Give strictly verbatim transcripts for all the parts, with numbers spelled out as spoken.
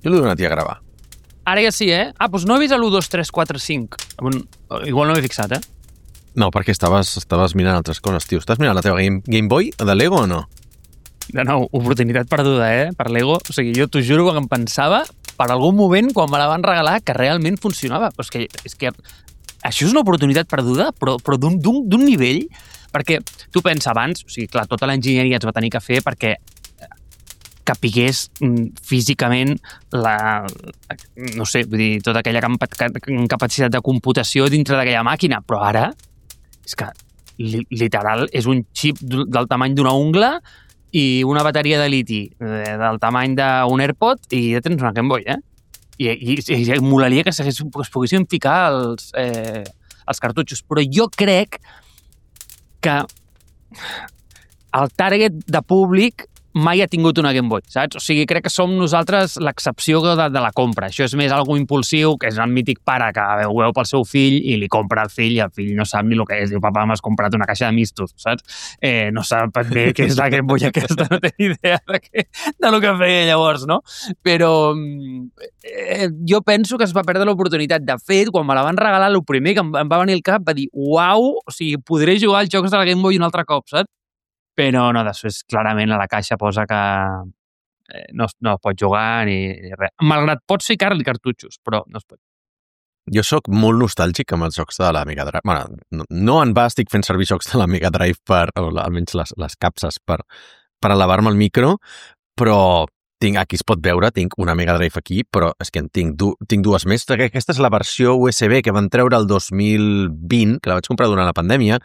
Jo l'he donat a gravar. Ara ja sí, eh? Ah, doncs no he vist l'u, dos, tres, quatre, cinc. Igual no m'he fixat, eh? No, perquè estaves, estaves mirant altres coses, tio. Estàs mirant la teva Game, Game Boy de Lego o no? De nou, oportunitat perduda, eh? Per Lego. O sigui, jo t'ho juro que em pensava per algun moment, quan me la van regalar, que realment funcionava. Però és que, és que això és una oportunitat perduda, però, però d'un nivell... Perquè tu pensa abans, o sigui, clar, tota l'enginyeria es va tenir que fer perquè capigués físicament la, no sé, vull dir, tota aquella capacitat de computació dintre d'aquella màquina, però ara és que literal és un xip del tamany d'una ungla i una bateria de liti del tamany d'un AirPod i ja tens una Game Boy, eh? I, i, i molaria que es poguessin ficar els, eh, els cartutxos, però jo crec que el target de públic mai ha tingut una Game Boy, saps? O sigui, crec que som nosaltres l'excepció de, de la compra. Això és més algo impulsiu, que és el mític pare que veu, veu pel seu fill i li compra al fill i el fill no sap ni el que és. Diu, papa, m'has comprat una caixa de mistos, saps? Eh, no sap bé què és la Game Boy aquesta, no té ni idea de, què, de lo que feia llavors, no? Però eh, jo penso que es va perdre l'oportunitat. De fet, quan me la van regalar, el primer que em, em va venir al cap va dir, uau, o sigui, podré jugar als jocs de la Game Boy un altre cop, saps? Però no, després clarament a la caixa posa que eh, no, no es pot jugar ni, ni res. Malgrat pots ficar-li cartutxos, però no es pot. Jo sóc molt nostàlgic amb els jocs de la Mega Drive. Bueno, no, no en va estic fent servir jocs de la Mega Drive per, o almenys les, les capses, per, per elevar-me el micro, però tinc, aquí es pot veure, tinc una Mega Drive aquí, però és que en tinc, du, tinc dues més. Aquesta és la versió U S B que van treure el dos mil vint, que la vaig comprar durant la pandèmia,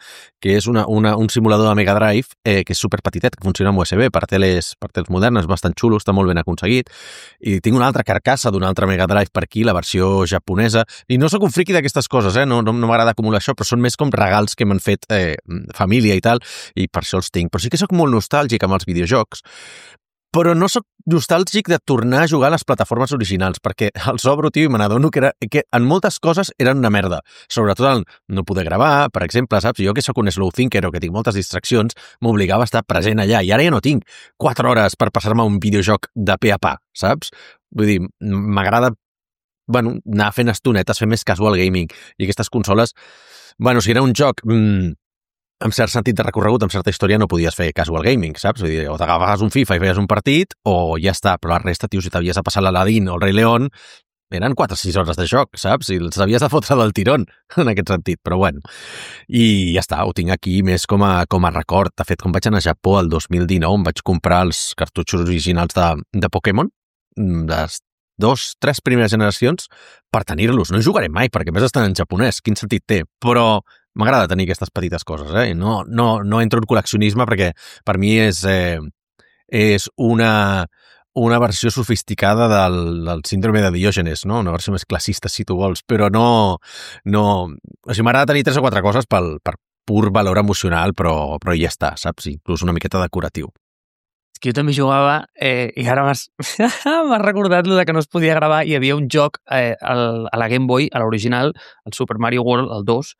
que és una, una, un simulador de Mega Drive eh, que és superpetitet, que funciona amb U S B per teles, per teles modernes, bastant xulo, està molt ben aconseguit. I tinc una altra carcassa d'una altra Mega Drive per aquí, la versió japonesa. I no sóc un friqui d'aquestes coses, eh? no, no, no m'agrada acumular això, però són més com regals que m'han fet eh, família i tal, i per això els tinc. Però sí que sóc molt nostàlgic amb els videojocs, però no sóc nostàlgic de tornar a jugar a les plataformes originals, perquè els obro, tio, i me n'adono que, era, que en moltes coses eren una merda. Sobretot el no poder gravar, per exemple, saps? Jo que sóc un slow thinker o que tinc moltes distraccions, m'obligava a estar present allà, i ara ja no tinc quatre hores per passar-me un videojoc de pe a pa, saps? Vull dir, m'agrada, bueno, anar fent estonetes, fer més casual gaming, i aquestes consoles, bueno, si era un joc... Mmm, amb cert sentit de recorregut, amb certa història, no podies fer casual gaming, saps? Vull dir, o t'agafaves un FIFA i feies un partit, o ja està, però la resta, tio, si t'havies de passar l'Aladín o el Rei León, eren quatre o sis hores de joc, saps? I els havies de fotre del tirón, en aquest sentit, però bueno. I ja està, ho tinc aquí més com a, com a record. De fet, quan vaig anar a Japó el dos mil dinou, em vaig comprar els cartutxos originals de, de Pokémon, les dos, tres primeres generacions, per tenir-los. No hi jugaré mai, perquè més estan en japonès, quin sentit té, però m'agrada tenir aquestes petites coses, eh? No, no, no entro en col·leccionisme perquè per mi és, eh, és una, una versió sofisticada del, del síndrome de Diògenes, no? Una versió més classista, si tu vols, però no... no o sigui, m'agrada tenir tres o quatre coses pel, per pur valor emocional, però, però ja està, saps? Inclús una miqueta decoratiu. És que jo també jugava, eh, i ara m'has recordat lo de que no es podia gravar, i hi havia un joc eh, al, a la Game Boy, a l'original, el Super Mario World, el dos,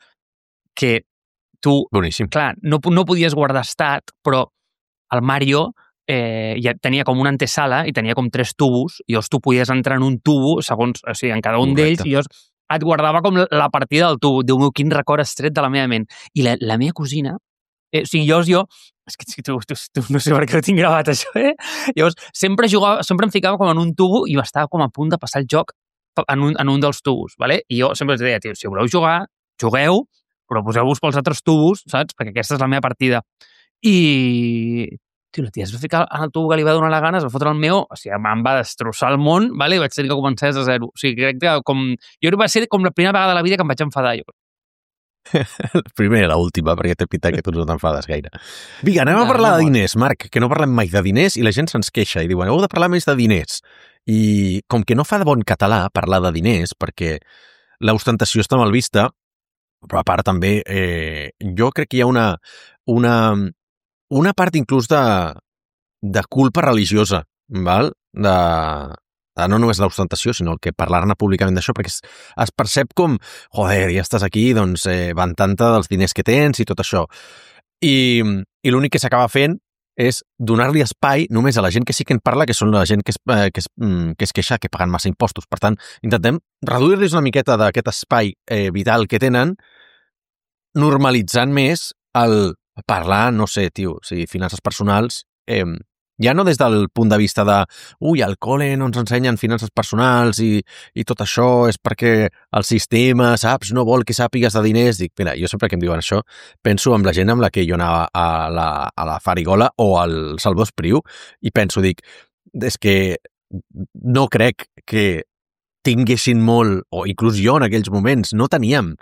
que tu, boníssim, clar, no, no podies guardar estat, però el Mario eh, ja tenia com una antesala i tenia com tres tubos, i llavors tu podies entrar en un tubo, segons, o sigui, en cada un d'ells, i llavors et guardava com la partida del tubo. Déu meu, quin record estret de la meva ment. I la, la meva cosina, eh, o sigui, llavors jo, és que tu, tu, tu no sé per què ho tinc gravat, això, eh? Llavors, sempre jugava, sempre em ficava com en un tubo i estava com a punt de passar el joc en un, en un dels tubos, ¿vale? I jo sempre els deia, tio, si voleu jugar, jugueu, però poseu-vos pels altres tubos, saps? Perquè aquesta és la meva partida. I... Tio, la tia es va ficar en el tubo que li va donar la gana, es va fotre el meu, o sigui, em va destrossar el món, vale? I vaig tenir que començar des de zero. O sigui, crec que com... Jo va ser com la primera vegada de la vida que em vaig enfadar, jo. La primera i l'última, perquè té pinta que tu no t'enfades gaire. Vinga, anem a parlar de diners, Marc, que no parlem mai de diners i la gent se'ns queixa i diuen, heu de parlar més de diners. I com que no fa de bon català parlar de diners, perquè l'ostentació està mal vista, però a part també, eh, jo crec que hi ha una, una, una part inclús de, de culpa religiosa, val? De, de no només l'ostentació, sinó el que parlar-ne públicament d'això, perquè es, es percep com, joder, ja estàs aquí, doncs eh, van tanta dels diners que tens i tot això. I, i l'únic que s'acaba fent és donar-li espai només a la gent que sí que en parla, que són la gent que es, eh, que es, mm, que es queixa que paguen massa impostos. Per tant, intentem reduir-los una miqueta d'aquest espai eh, vital que tenen, normalitzant més el parlar, no sé, tio, o sigui, finances personals, eh, ja no des del punt de vista de ui, al col·le no ens ensenyen finances personals i, i tot això és perquè el sistema, saps, no vol que sàpigues de diners. Dic, mira, jo sempre que em diuen això penso en la gent amb la que jo anava a la, a la Farigola o al Salvador Espriu i penso, dic, és que no crec que tinguessin molt, o inclús jo en aquells moments, no teníem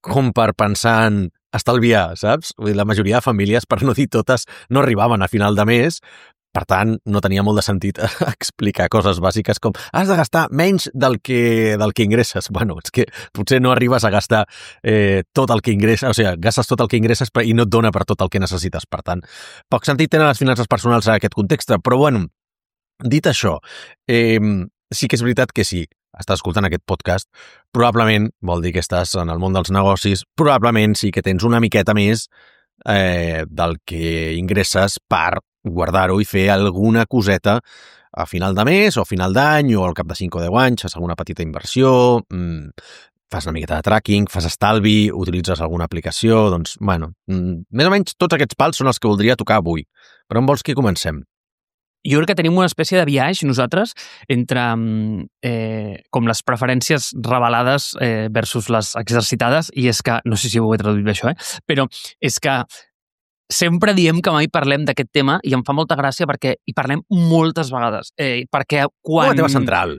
com per pensar en estalviar, saps? Vull dir, la majoria de famílies, per no dir totes, no arribaven a final de mes. Per tant, no tenia molt de sentit explicar coses bàsiques com has de gastar menys del que, del que ingresses. Bueno, és que potser no arribes a gastar eh, tot el que ingresses, o sigui, gastes tot el que ingresses i no et dona per tot el que necessites. Per tant, poc sentit tenen les finances personals en aquest context, però bueno, dit això, eh, sí que és veritat que sí, estàs escoltant aquest podcast, probablement vol dir que estàs en el món dels negocis, probablement sí que tens una miqueta més eh, del que ingresses per guardar-ho i fer alguna coseta a final de mes o a final d'any o al cap de cinc o deu anys, fas alguna petita inversió, mmm, fas una miqueta de tracking, fas estalvi, utilitzes alguna aplicació, doncs, bueno, mmm, més o menys tots aquests pals són els que voldria tocar avui. Per on vols que comencem? Jo crec que tenim una espècie de viatge, nosaltres, entre eh, com les preferències revelades eh, versus les exercitades, i és que, no sé si ho he traduït bé això, eh? Però és que sempre diem que mai parlem d'aquest tema i em fa molta gràcia perquè hi parlem moltes vegades. Eh, perquè quan... Com a tema central.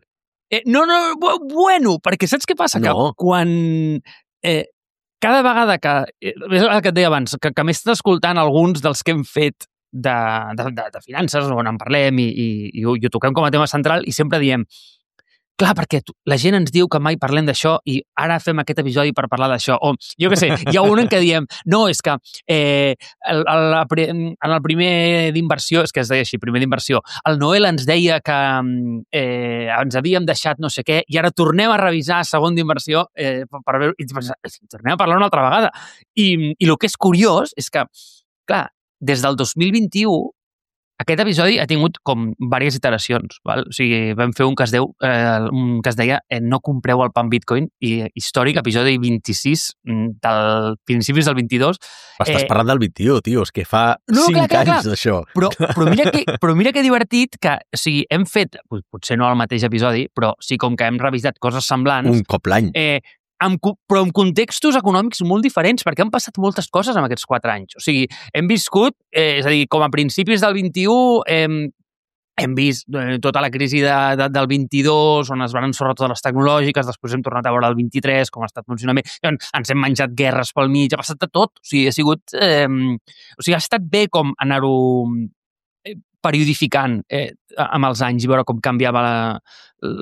Eh, no, no, bueno, perquè saps què passa? No. Que quan... Eh, cada vegada que... Eh, és el que et deia abans, que, que m'he estat escoltant alguns dels que hem fet de, de, de, de finances, on en parlem i, i, i, ho, i ho toquem com a tema central i sempre diem, clar, perquè la gent ens diu que mai parlem d'això i ara fem aquest episodi per parlar d'això. O, jo què sé, hi ha un en què diem, no, és que eh, el, el, en el primer d'inversió, és que es deia així, primer d'inversió, el Noel ens deia que eh, ens havíem deixat no sé què i ara tornem a revisar segon d'inversió eh, per veure, i tornem a parlar una altra vegada. I, i el que és curiós és que, clar, des del dos mil vint-i-u aquest episodi ha tingut com diverses iteracions, val? O sigui, vam fer un que es, deu, eh, un que es deia eh, no compreu el pan Bitcoin, i històric, episodi vint-i-sis del principis del vint-i-dos. Estàs eh, parlant del vint-i-u, tio, és que fa no, cinc clar, clar, anys clar. d'això. Però, però, mira que, però mira que divertit que, o sigui, hem fet, potser no el mateix episodi, però sí com que hem revisat coses semblants. Un cop l'any. Eh, Amb, però en contextos econòmics molt diferents, perquè han passat moltes coses en aquests quatre anys. O sigui, hem viscut, eh, és a dir, com a principis del vint-i-u, eh, hem vist eh, tota la crisi de, de, del vint-i-dos, on es van ensorrar totes les tecnològiques, després hem tornat a veure el vint-i-tres, com ha estat funcionament, ens hem menjat guerres pel mig, ha passat de tot. O sigui, ha sigut... Eh, o sigui, ha estat bé com anar-ho periodificant eh, amb els anys i veure com canviava la,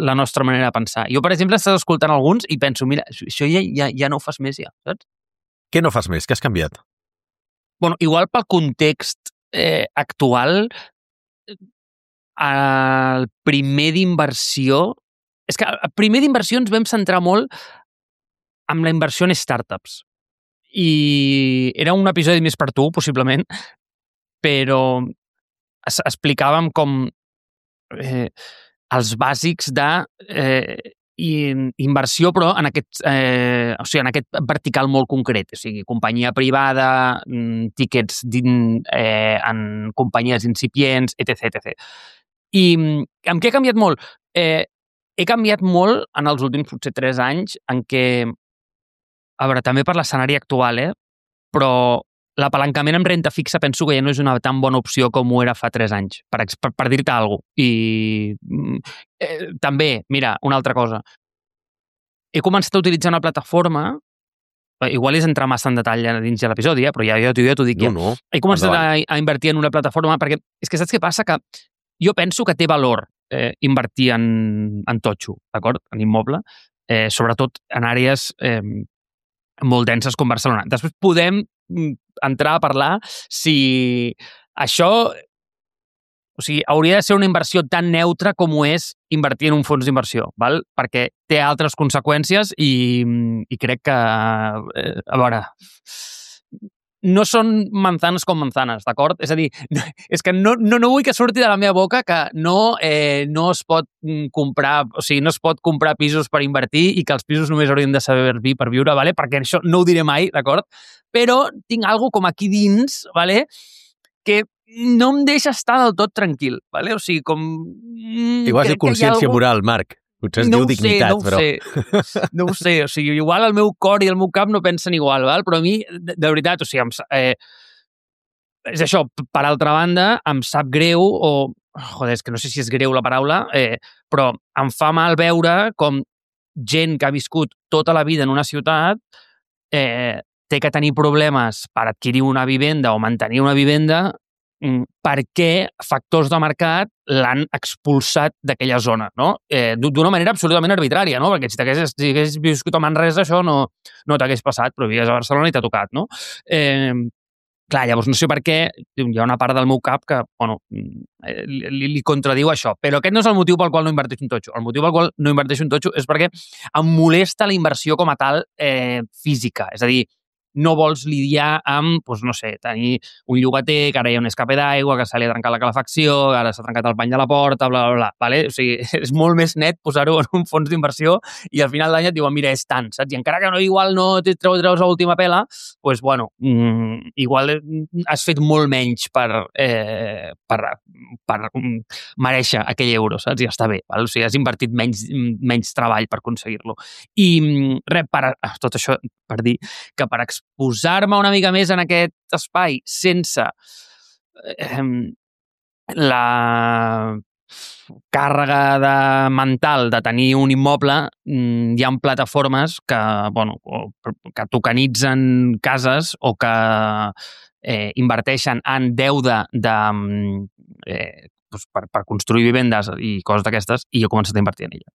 la nostra manera de pensar. Jo, per exemple, estàs escoltant alguns i penso, mira, això ja, ja, ja no ho fas més, ja, saps? Què no fas més? Què has canviat? Bueno, igual pel context eh, actual, el primer d'inversió... És que el primer d'inversió ens vam centrar molt amb la inversió en startups. I era un episodi més per tu, possiblement, però es, explicàvem com eh, els bàsics de eh, inversió, però en aquest, eh, o sigui, en aquest vertical molt concret. O sigui, companyia privada, tíquets eh, en companyies incipients, etcètera etcètera. I amb què he canviat molt? Eh, he canviat molt en els últims potser tres anys en què, a veure, també per l'escenari actual, eh, però l'apalancament amb renta fixa penso que ja no és una tan bona opció com ho era fa tres anys, per, per, per dir-te alguna cosa. I eh, també, mira, una altra cosa. He començat a utilitzar una plataforma, igual és entrar massa en detall dins de l'episodi, eh, però ja, ja, ja t'ho dic. No, no. He començat a, a invertir en una plataforma perquè és que saps què passa? Que jo penso que té valor eh, invertir en, en totxo, d'acord? En immoble, eh, sobretot en àrees eh, molt denses com Barcelona. Després podem entrar a parlar si això, o sigui, hauria de ser una inversió tan neutra com ho és invertir en un fons d'inversió, val? Perquè té altres conseqüències i, i crec que, eh, a veure, no són manzanes com manzanes, d'acord? És a dir, és que no, no, no vull que surti de la meva boca que no, eh, no es pot comprar, o sigui, no es pot comprar pisos per invertir i que els pisos només haurien de servir per viure, vale? Perquè això no ho diré mai, d'acord? Però tinc alguna com aquí dins, vale? Que no em deixa estar del tot tranquil, vale? O sigui, com... Igual és consciència algo... moral, Marc. Potser es no diu dignitat, sé, no però... Sé. No ho sé, o sigui, igual el meu cor i el meu cap no pensen igual, val? Però a mi, de, de veritat, o sigui, em, eh, és això, per altra banda, em sap greu, o, joder, és que no sé si és greu la paraula, eh, però em fa mal veure com gent que ha viscut tota la vida en una ciutat eh, té que tenir problemes per adquirir una vivenda o mantenir una vivenda perquè factors de mercat l'han expulsat d'aquella zona, no? Eh, d'una manera absolutament arbitrària, no? Perquè si t'haguessis si haguessis viscut a Manresa, això no, no t'hagués passat, però vivies a Barcelona i t'ha tocat, no? Eh, clar, llavors no sé per què hi ha una part del meu cap que, bueno, li, li contradiu això. Però aquest no és el motiu pel qual no inverteixo un totxo. El motiu pel qual no inverteixo un totxo és perquè em molesta la inversió com a tal eh, física. És a dir, no vols lidiar amb, doncs, no sé, tenir un llogater, que ara hi ha un escape d'aigua, que se li ha trencat la calefacció, que ara s'ha trencat el pany de la porta, bla, bla, bla. Vale? O sigui, és molt més net posar-ho en un fons d'inversió i al final d'any et diuen, mira, és tant, saps? I encara que no, igual no te treus, treus a última pela, doncs, bueno, mmm, igual has fet molt menys per, eh, per, per mm, mereixer aquell euro, saps? I està bé, val? O sigui, has invertit menys, menys treball per aconseguir-lo. I res, per, tot això per dir que per posar-me una mica més en aquest espai sense eh, la càrrega de mental de tenir un immoble, hi ha plataformes que, bueno, que tokenitzen cases o que eh, inverteixen en deuda de, eh, doncs per, per construir vivendes i coses d'aquestes, i jo he començat a invertir en ella.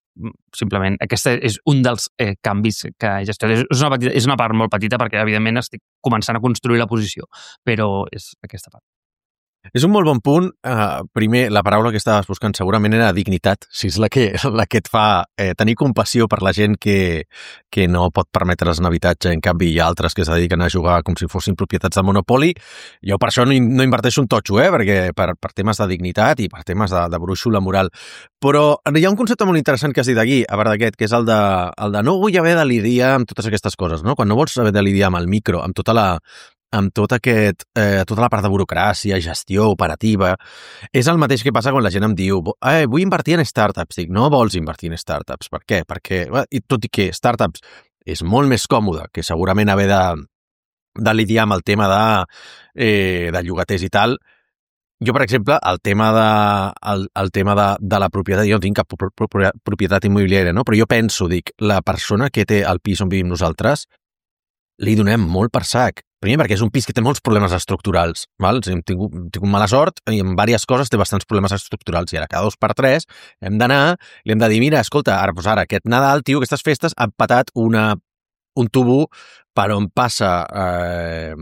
Simplement, aquest és un dels eh, canvis que he gestionat. És una, petita, és una part molt petita perquè, evidentment, estic començant a construir la posició, però és aquesta part. És un molt bon punt. Uh, primer, la paraula que estaves buscant segurament era dignitat, si és la que, la que et fa eh, tenir compassió per la gent que, que no pot permetre's un habitatge. En canvi, hi ha altres que es dediquen a jugar com si fossin propietats de Monopoly. Jo per això no, no inverteixo un totxo, eh? Perquè per, per temes de dignitat i per temes de, de brúixola moral. Però hi ha un concepte molt interessant que has dit aquí, a part d'aquest, que és el de, el de no vull haver de lidiar amb totes aquestes coses, no? Quan no vols haver de lidiar amb el micro, amb tota la amb tot aquest, eh, tota la part de burocràcia, gestió, operativa, és el mateix que passa quan la gent em diu eh, vull invertir en startups. Dic, no vols invertir en startups. Per què? Perquè, i tot i que startups és molt més còmode que segurament haver de, de lidiar amb el tema de, eh, de llogaters i tal, jo, per exemple, el tema de, el, el tema de, de la propietat, jo no tinc cap propietat immobiliària, no? Però jo penso, dic, la persona que té el pis on vivim nosaltres, li donem molt per sac. Primer, perquè és un pis que té molts problemes estructurals. Val? O sigui, hem tingut, tingut mala sort i en diverses coses té bastants problemes estructurals. I ara, cada dos per tres, hem d'anar, li hem de dir, mira, escolta, ara, doncs ara, aquest Nadal, tio, aquestes festes, han patat una, un tubo per on passa eh,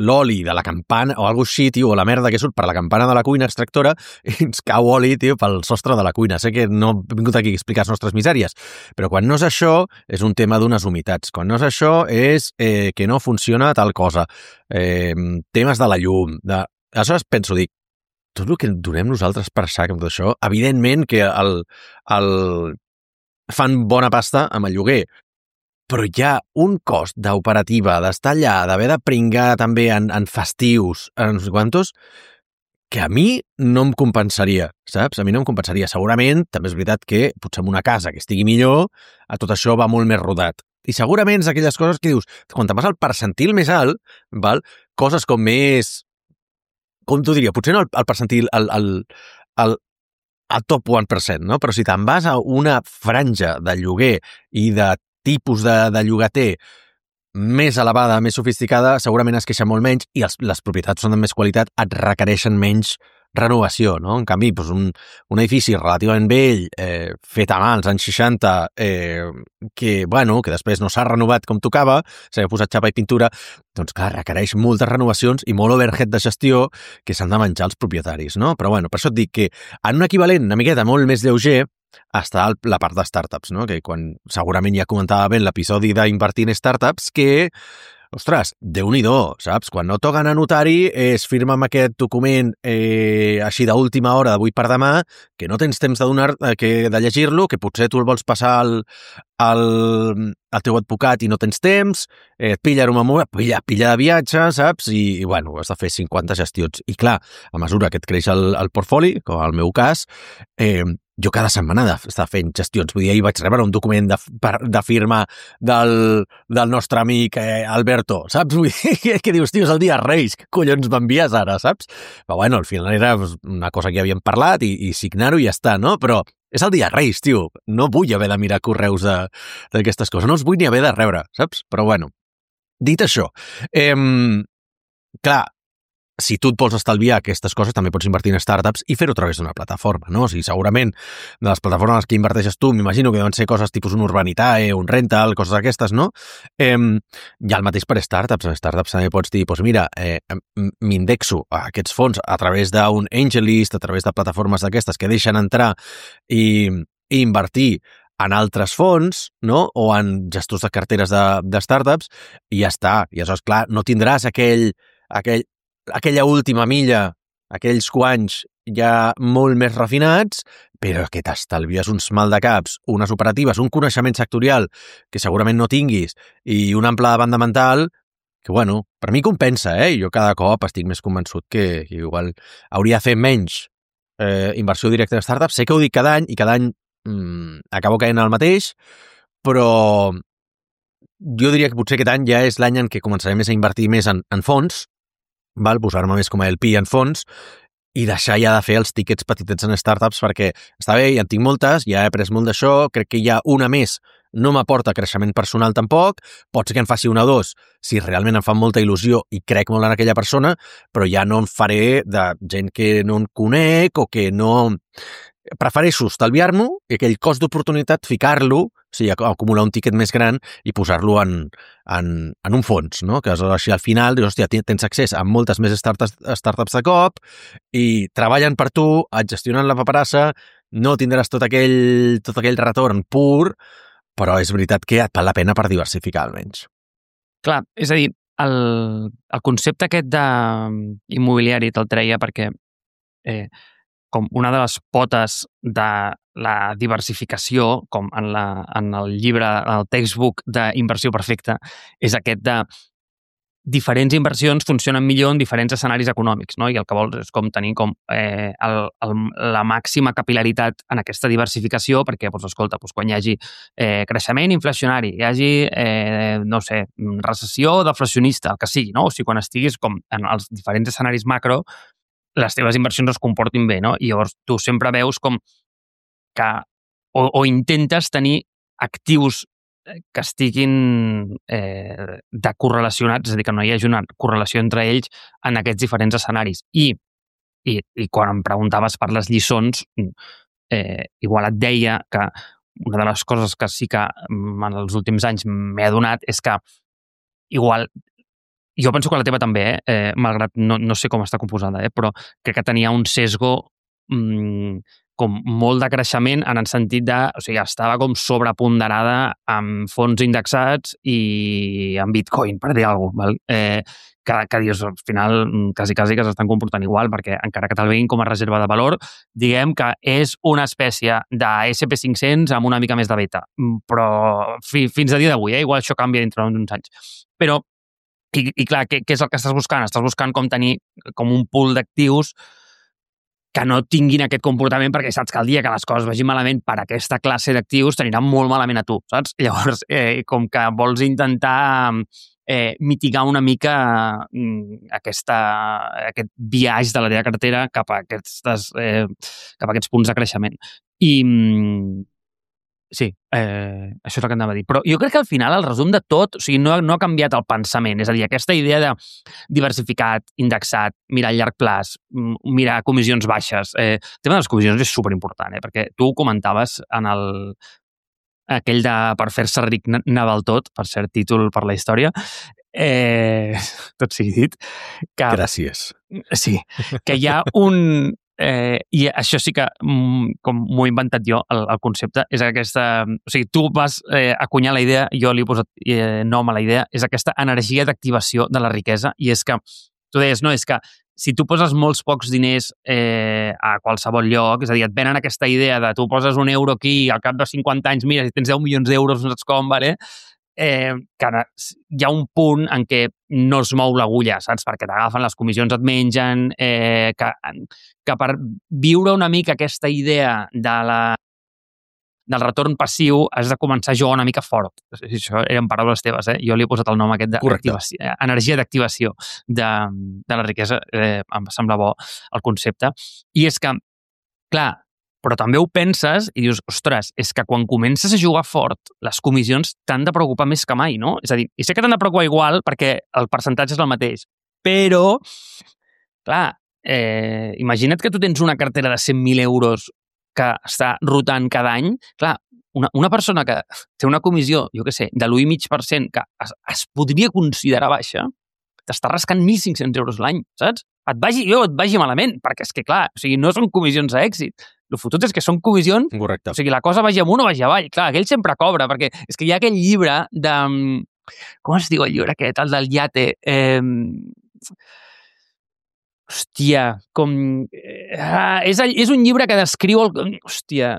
l'oli de la campana o alguna cosa així, tio, o la merda que surt per la campana de la cuina extractora i ens cau oli, tio, pel sostre de la cuina. Sé que no he vingut aquí a explicar les nostres misèries, però quan no és això, és un tema d'unes humitats. Quan no és això, és eh, que no funciona tal cosa. Eh, temes de la llum. De... Aleshores penso, dic, tot el que donem nosaltres per sac amb tot això, evidentment que el, el... fan bona pasta amb el lloguer, però hi ha un cost d'operativa, d'estar allà, d'haver de pringar també en, en festius, en no sé quantos, que a mi no em compensaria, saps? A mi no em compensaria. Segurament, també és veritat que potser en una casa que estigui millor, a tot això va molt més rodat. I segurament és aquelles coses que dius, quan te'n vas al percentil més alt, val? Coses com més... Com t'ho diria? Potser no el, el percentil, el, el, el, el top one percent, no? Però si te'n vas a una franja de lloguer i de tipus de, de llogater més elevada, més sofisticada, segurament es queixa molt menys i els, les propietats són de més qualitat, et requereixen menys renovació, no? En canvi, doncs un, un edifici relativament vell, eh, fet a mà als anys seixanta, eh, que, bueno, que després no s'ha renovat com tocava, s'ha posat xapa i pintura, doncs clar, requereix moltes renovacions i molt overhead de gestió que s'han de menjar els propietaris, no? Però bueno, per això et dic que en un equivalent una miqueta molt més lleuger està la part de startups, no? Que quan segurament ja comentava bé l'episodi d'invertir en startups, que ostres, Déu-n'hi-do, saps? Quan no toquen a notari és firma'm aquest document eh, així d'última hora, d'avui per demà, que no tens temps de, donar, eh, que, de llegir-lo, que potser tu el vols passar al, al, al teu advocat i no tens temps, eh, et pilla una pilla, pilla de viatge, saps? I, i bueno, has de fer cinquanta gestions. I clar, a mesura que et creix el, el portfoli, com el meu cas, eh, jo cada setmana d'estar fent gestions. Vull dir, ahir vaig rebre un document de, de firma del, del nostre amic eh, Alberto, saps? Vull dir, que dius, tio, és el dia Reis, què collons m'envies ara, saps? Però bueno, al final era una cosa que ja havíem parlat i, i signar-ho i ja està, no? Però és el dia Reis, tio. No vull haver de mirar correus d'aquestes coses. No els vull ni haver de rebre, saps? Però bueno, dit això, eh, clar, si tu et vols estalviar aquestes coses, també pots invertir en startups i fer-ho a través d'una plataforma, no? O sigui, segurament, de les plataformes que inverteixes tu, m'imagino que deuen ser coses tipus un Urbanitae, un Rental, coses d'aquestes, no? Eh, hi ha el mateix per startups. En startups també pots dir, doncs mira, eh, m'indexo a aquests fons a través d'un AngelList, a través de plataformes d'aquestes que deixen entrar i, i invertir en altres fons, no? O en gestors de carteres de, de startups, i ja està. I aleshores, clar, no tindràs aquell, aquell aquella última milla, aquells guanys ja molt més refinats, però que t'estalvies uns maldecaps, unes operatives, un coneixement sectorial que segurament no tinguis i un ample de banda mental que, bueno, per mi compensa, eh? Jo cada cop estic més convençut que, que igual hauria de fer menys eh, inversió directa en startups. Sé que ho dic cada any i cada any mmm, acabo caient al mateix, però jo diria que potser aquest any ja és l'any en què començaré més a invertir més en, en fons, val? Posar-me més com a L P en fons i deixar ja de fer els tickets petitets en startups perquè està bé, ja en tinc moltes, ja he après molt d'això, crec que ja una més no m'aporta creixement personal tampoc, pot ser que en faci una o dos si realment em fa molta il·lusió i crec molt en aquella persona, però ja no en faré de gent que no en conec o que no... Prefereixo estalviar-m'ho i aquell cost d'oportunitat ficar-lo, o sigui, acumular un tiquet més gran i posar-lo en, en, en un fons, no? Que així al final dius, hòstia, tens accés a moltes més startups, startups de cop i treballen per tu, et gestionen la paperassa, no tindràs tot aquell, tot aquell retorn pur, però és veritat que et val la pena per diversificar almenys. Clar, és a dir, el, el concepte aquest d'immobiliari te'l treia perquè eh, com una de les potes de la diversificació, com en, la, en el llibre, el textbook d'inversió perfecta, és aquest de diferents inversions funcionen millor en diferents escenaris econòmics, no? I el que vols és com tenir com, eh, el, el, la màxima capil·laritat en aquesta diversificació perquè, doncs, escolta, doncs, quan hi hagi eh, creixement inflacionari, hi hagi, eh, no sé, recessió deflacionista, el que sigui, no? O sigui, quan estiguis com en els diferents escenaris macro, les teves inversions es comportin bé, no? I llavors tu sempre veus com que o, o intentes tenir actius que estiguin eh, de correlacionats, és a dir, que no hi hagi una correlació entre ells en aquests diferents escenaris. I, i, i quan em preguntaves per les lliçons, eh, igual et deia que una de les coses que sí que en els últims anys m'he adonat és que igual jo penso que la teva també, eh? eh malgrat no, no sé com està composada, eh? Però crec que tenia un sesgo mmm, com molt de creixement en el sentit de... O sigui, estava com sobreponderada amb fons indexats i amb Bitcoin, per dir alguna cosa. Val? Eh, que, que dius, al final, quasi, quasi que s'estan comportant igual, perquè encara que te'l veguin com a reserva de valor, diguem que és una espècie de esse pe cinc-cents amb una mica més de beta. Però fi, fins a dia d'avui, eh? Igual això canvia dintre d'uns anys. Però I, i clar, què, què és el que estàs buscant? Estàs buscant com tenir com un pool d'actius que no tinguin aquest comportament perquè saps que el dia que les coses vagin malament per aquesta classe d'actius t'aniran molt malament a tu, saps? Llavors, eh, com que vols intentar eh, mitigar una mica eh, aquesta, aquest viatge de la teva cartera cap a aquestes, eh, cap a aquests punts de creixement. I... Sí, eh, això és el que anava a dir. Però jo crec que al final el resum de tot, o sigui, no, no ha canviat el pensament. És a dir, aquesta idea de diversificat, indexat, mirar a llarg plaç, mirar comissions baixes. Eh, el tema de les comissions és superimportant, eh, perquè tu comentaves en el aquell de per fer-se ric naval tot, per cert títol per la història, eh, tot sigui dit. Que, gràcies. Sí, que hi ha un... Eh, I això sí que, mm, com m'ho he inventat jo, el, el concepte, és aquesta... O sigui, tu vas eh, acunyar la idea, jo li he posat eh, nom a la idea, és aquesta energia d'activació de la riquesa, i és que, tu deies, no, és que si tu poses molts pocs diners eh, a qualsevol lloc, és a dir, et venen aquesta idea de tu poses un euro aquí, al cap de cinquanta anys, mira, si tens deu milions d'euros, no saps com, vale? Eh, que hi ha un punt en què no es mou l'agulla, saps? Perquè t'agafen, les comissions et mengen, eh, que, que per viure una mica aquesta idea de la, del retorn passiu has de començar a jugar una mica fort. Això eren paraules teves, eh? Jo li he posat el nom aquest de energia d'activació de, de la riquesa. Eh, em sembla bo el concepte. I és que, clar, però també ho penses i dius, ostres, és que quan comences a jugar fort, les comissions t'han de preocupar més que mai, no? És a dir, i sé que t'han de preocupar igual perquè el percentatge és el mateix, però, clar, eh, imagina't que tu tens una cartera de cent mil euros que està rotant cada any. Clar, una, una persona que té una comissió, jo què sé, de l'u i mig per cent que es, es podria considerar baixa, t'està rascant mil cinc-cents euros l'any, saps? Et vagi bé o et vagi malament, perquè és que, clar, o sigui, no són comissions a èxit. El fotut és que són comissions... Correcte. O sigui, la cosa vagi amunt o vagi avall. Clar, aquell sempre cobra, perquè és que hi ha aquell llibre de... Com es diu el llibre aquest? El del iate. Eh... Hòstia, com... Ah, és, és un llibre que descriu... El... Hòstia...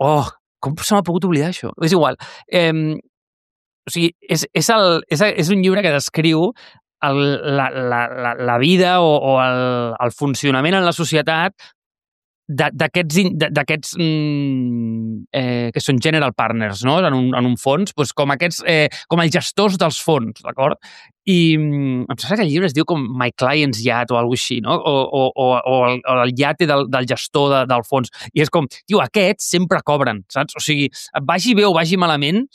Oh, com se m'ha pogut oblidar això? És igual. Eh... O sigui, és, és, el, és, és un llibre que descriu el, la, la, la, la vida o, o el, el funcionament en la societat d'aquests mm, eh, que són general partners, no? En un, en un fons, doncs com aquests, eh, com els gestors dels fons, d'acord? I mm, em sembla que el llibre es diu com My Client's Yacht o alguna cosa així, no? O, o, o, o el, el iate del, del gestor de, del fons. I és com, tio, aquests sempre cobren, saps? O sigui, vagi bé o vagi malament,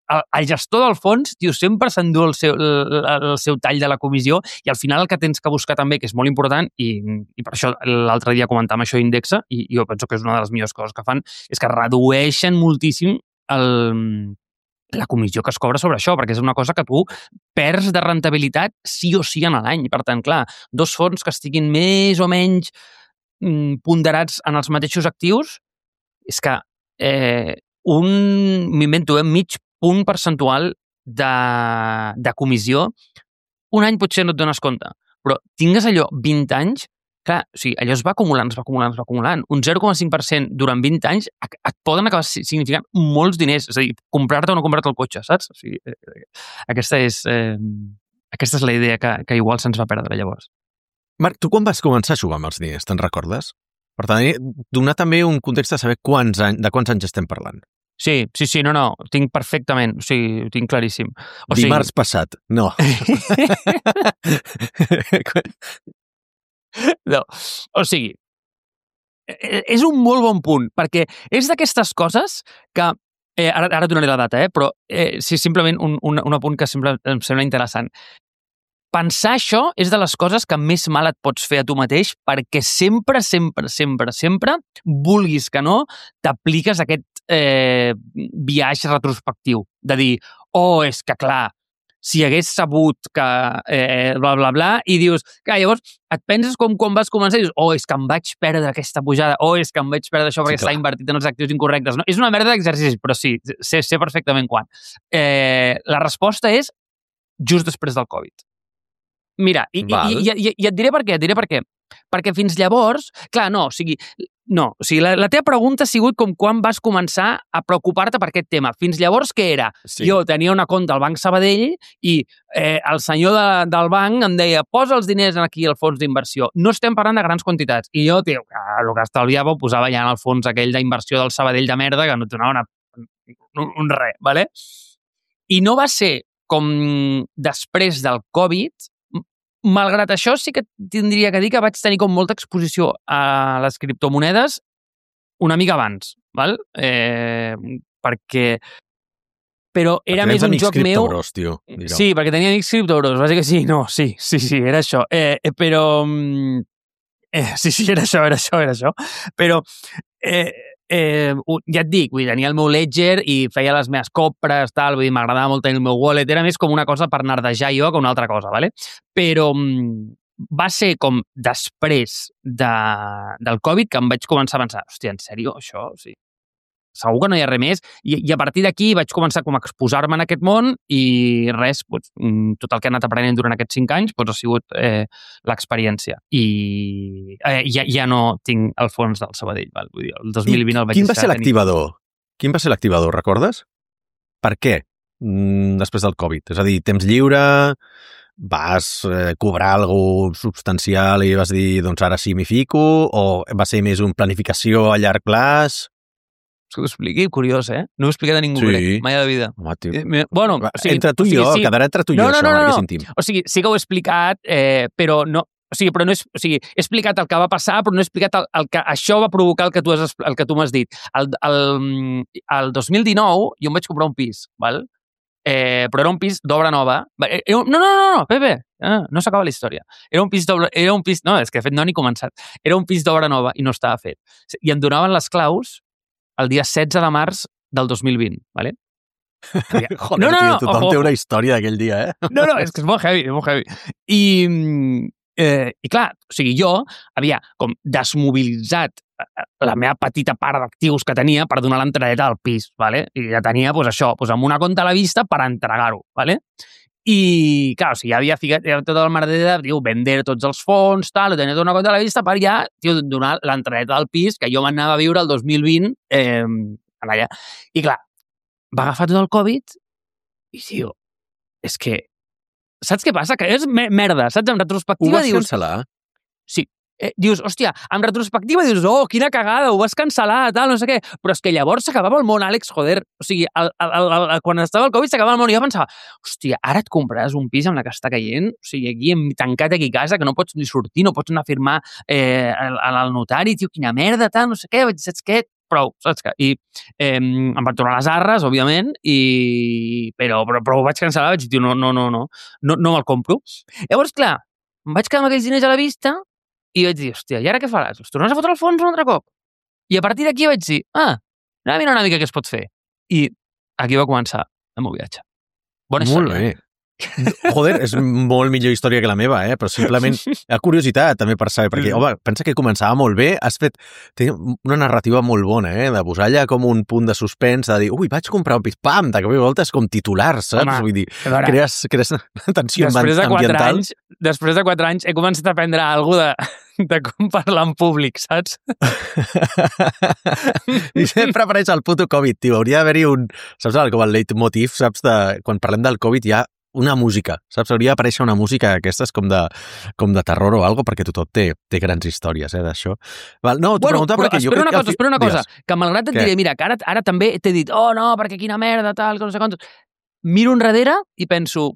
el, el gestor del fons, tio, sempre s'endú el, seu, el, el seu tall de la comissió i al final el que tens que buscar també, que és molt important, i, i per això l'altre dia comentàvem això Indexa, i jo penso que és una de les millors coses que fan, és que redueixen moltíssim el, la comissió que es cobra sobre això, perquè és una cosa que tu perds de rentabilitat sí o sí en l'any. Per tant, clar, dos fons que estiguin més o menys mm, ponderats en els mateixos actius, és que eh, un, m'invento, eh, mig punt percentual de, de comissió, un any potser no et dones compte, però tingues allò vint anys, clar, o sigui, allò es va acumulant, es va acumulant, es va acumulant. Un zero coma cinc per cent durant vint anys et poden acabar significant molts diners, és a dir, comprar-te o no comprar-te el cotxe, saps? O sigui, aquesta és, eh, aquesta és la idea que, que igual se'ns va perdre llavors. Marc, tu quan vas començar a jugar amb els diners, te'n recordes? Per tant, donar també un context de saber quants anys, de quants anys estem parlant. Sí, sí, sí, no, no, ho tinc perfectament, o sigui, ho tinc claríssim. O Dimarts sigui... passat, no. No, o sigui, és un molt bon punt, perquè és d'aquestes coses que, eh, ara, ara donaré la data, eh, però eh, sí, simplement un, un, un apunt que sempre, em sembla interessant. Pensar això és de les coses que més mal et pots fer a tu mateix perquè sempre, sempre, sempre, sempre, vulguis que no, t'apliques aquest eh, viatge retrospectiu de dir, oh, és que clar, si hagués sabut que eh, bla, bla, bla, i dius, clar, llavors et penses com quan vas començar i dius, oh, és que em vaig perdre aquesta pujada, oh, és que em vaig perdre això perquè sí, està invertit en els actius incorrectes. No? És una merda d'exercicis, però sí, sé, sé perfectament quan. Eh, la resposta és just després del Covid. Mira, i, i, i, i, i et diré per què, et diré per què. Perquè fins llavors, clar, no, o sigui, no, o sigui, la, la teva pregunta ha sigut com quan vas començar a preocupar-te per aquest tema. Fins llavors, què era? Sí. Jo tenia una compte al Banc Sabadell i eh, el senyor de, del banc em deia, posa els diners aquí al fons d'inversió. No estem parlant de grans quantitats. I jo, tio, el que estalviava ho posava ja en el fons aquell d'inversió del Sabadell de merda que no et donava una, un, un res, ¿vale? I no va ser com després del Covid. Malgrat això, sí que tindria que dir que vaig tenir com molta exposició a les criptomonedes una mica abans, val? Eh, perquè... Però era perquè més un joc meu... Criptobros, tio. Sí, perquè tenia amics criptobros, bàsicament sí, no, sí, sí, sí, era això. Eh, però... Eh, sí, sí, era això, era això, era això. Però... Eh, Eh, ja et dic, vull dir, tenia el meu ledger i feia les meves compres, tal, vull dir, m'agradava molt tenir el meu wallet, era més com una cosa per nerdejar jo que una altra cosa, ¿vale? Però, va ser com després de, del Covid que em vaig començar a pensar, hòstia, en sèrio, això? O sigui, segur que no hi ha res més. I, i a partir d'aquí vaig començar com a exposar-me en aquest món i res, doncs, tot el que he anat aprenent durant aquests cinc anys doncs, ha sigut eh, l'experiència. I eh, ja, ja no tinc el fons del Sabadell. Val? Vull dir, el dos mil vint el vaig quin va ser l'activador? Tenir... Quin va ser l'activador, recordes? Per què? Mm, després del Covid. És a dir, temps lliure, vas eh, cobrar alguna substancial i vas dir, doncs ara sí m'hi fico, o va ser més una planificació a llarg plaç? Que ho expliqui, curiós, eh? No ho he explicat a ningú, sí. crec, mai a la vida. Home, tio. Eh, bueno, o sigui, entre tu i o sigui, jo, sí. quedarà entre tu i no, jo, no, això, no, no, Marc, no. és íntim. O sigui, sí que ho he explicat, eh, però no... O sigui, però no és, o sigui, he explicat el que va passar, però no he explicat el, el que això va provocar el que tu has, el que tu m'has dit. El, el, el dos mil dinou jo em vaig comprar un pis, val? Eh, però era un pis d'obra nova. No, no, no, no, Pepe, no, no s'acaba la història. Era un pis d'obra... Era un pis... No, és que de fet no ni començat. Era un pis d'obra nova i no estava fet. I em donaven les claus el dia setze de març del dos mil vint, ¿vale? Joder, no, no, no, tio, tothom ojo. té una història d'aquell dia, eh? No, no, és que és molt heavy, és molt heavy. I, eh, i clar, o sigui, jo havia com desmobilitzat la meva petita part d'actius que tenia per donar l'entradeta del pis, ¿vale? I ja tenia, doncs, això, doncs, amb una compta a la vista per entregar-ho, ¿vale? I, clar, o sigui, ja havia ficat ja tot el merder de, tio, vender tots els fons, tal, tenia tota una compta a la vista per ja, tio, donar l'entradeta del pis que jo m'anava a viure el dos mil vint eh, allà. I, clar, va agafar tot el Covid i, tio, és que saps què passa? Que és merda, saps? En retrospectiva Ho vas dius... cancel·lar? Sí. Eh, dius, hòstia, en retrospectiva dius, oh, quina cagada, ho vas cancel·lar, tal, no sé què. Però és que llavors s'acabava el món, Àlex, joder. O sigui, el, el, el, el, quan estava el Covid s'acabava el món i jo pensava, hòstia, ara et compraràs un pis amb la que està caient, o sigui, aquí hem tancat aquí a casa, que no pots ni sortir, no pots anar a firmar eh, al, al notari, tio, quina merda, tal, no sé què, vaig dir, saps què? Prou, saps què? I eh, em van tornar les arres, òbviament, i... però, però, però ho vaig cancel·lar, vaig dir, tio, no, no, no, no, no, no me'l compro. Llavors, clar, em vaig quedar amb aquells diners a la vista i vaig dir, hòstia, i ara què faràs? Els tornes a fotre al fons un altre cop? I a partir d'aquí vaig dir, ah, anem a mirar una mica què es pot fer. I aquí va començar el meu viatge. Bona Molt història. bé. Joder, és molt millor història que la meva, eh? Però simplement a curiositat també per saber, perquè, home, pensa que començava molt bé, has fet té una narrativa molt bona, eh? De posar allà com un punt de suspens, de dir, ui, vaig comprar un pis, pam, de cop i volta és com titular, saps? Home, Vull dir, veure, crees, crees tensió després de quatre ambiental. anys, després de quatre anys he començat a aprendre alguna de, de com parlar en públic, saps? I sempre apareix el puto Covid, tio. Hauria d'haver-hi un, saps, com el leitmotiv, saps, de, quan parlem del Covid hi ha una música, saps? Hauria d'aparèixer una música d'aquestes com de, com de terror o algo, perquè tothom té, té grans històries, eh, d'això. Val, no, t'ho Bueno, preguntava però perquè jo espera crec una cosa, que... espera una cosa, Digues. que malgrat et Què? diré, mira, que ara, ara també t'he dit, oh no, perquè quina merda, tal, que no sé quantos. Miro enrere i penso,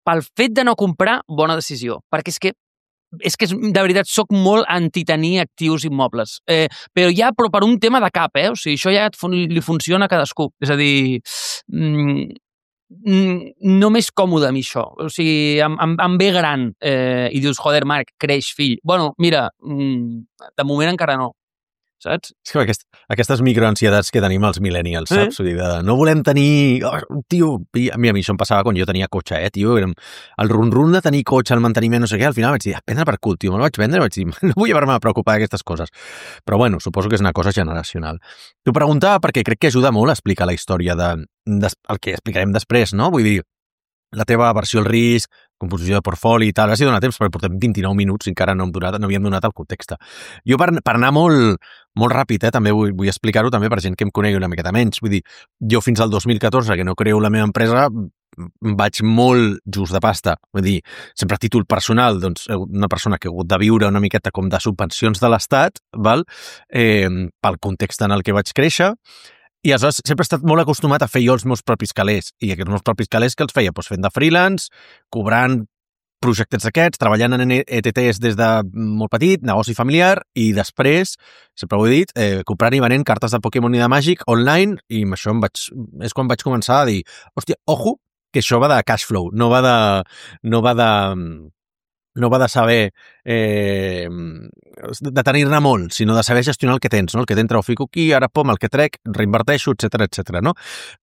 pel fet de no comprar, bona decisió, perquè és que és que, de veritat, sóc molt anti-tenir actius immobles. Eh, però ja, però per un tema de cap, eh? O sigui, això ja et fun li funciona a cadascú. És a dir, mm, no m'és còmode a mi això. O sigui, em, em, em ve gran eh, i dius, joder, Marc, creix, fill. Bueno, mira, mm, de moment encara no. Saps? És que aquest, aquestes microansietats que tenim els millennials, saps? Eh? Vull dir, de, no volem tenir... Oh, tio, a mi, a mi això em passava quan jo tenia cotxe, eh, tio? Érem, el run-run de tenir cotxe, el manteniment, no sé què, al final vaig dir, ah, prendre per cul, tio, me'l vaig vendre, vaig dir, no vull haver-me de preocupar d'aquestes coses. Però bueno, suposo que és una cosa generacional. T'ho preguntava perquè crec que ajuda molt a explicar la història de, de, el que explicarem després, no? Vull dir, la teva versió al risc, composició de portfoli i tal, ara sí dona temps, perquè portem vint-i-nou minuts i encara no, hem donat, no havíem donat el context. Jo, per, per anar molt, molt ràpid, eh, també vull, vull explicar-ho també per gent que em conegui una miqueta menys. Vull dir, jo fins al dos mil catorze, que no creo la meva empresa, vaig molt just de pasta. Vull dir, sempre a títol personal, doncs, una persona que ha hagut de viure una miqueta com de subvencions de l'Estat, val? Eh, pel context en el que vaig créixer, i aleshores sempre he estat molt acostumat a fer jo els meus propis calés. I aquests meus propis calés que els feia? Doncs fent de freelance, cobrant projectes d'aquests, treballant en E T Ts des de molt petit, negoci familiar, i després, sempre ho he dit, eh, comprant i venent cartes de Pokémon i de Màgic online, i amb això em vaig, és quan vaig començar a dir, hòstia, ojo, que això va de cash flow, no va de... no va de... no va de saber eh, de tenir-ne molt, sinó de saber gestionar el que tens, no? El que t'entra ho fico aquí, ara pom, el que trec, reinverteixo, etcètera, etcètera, no?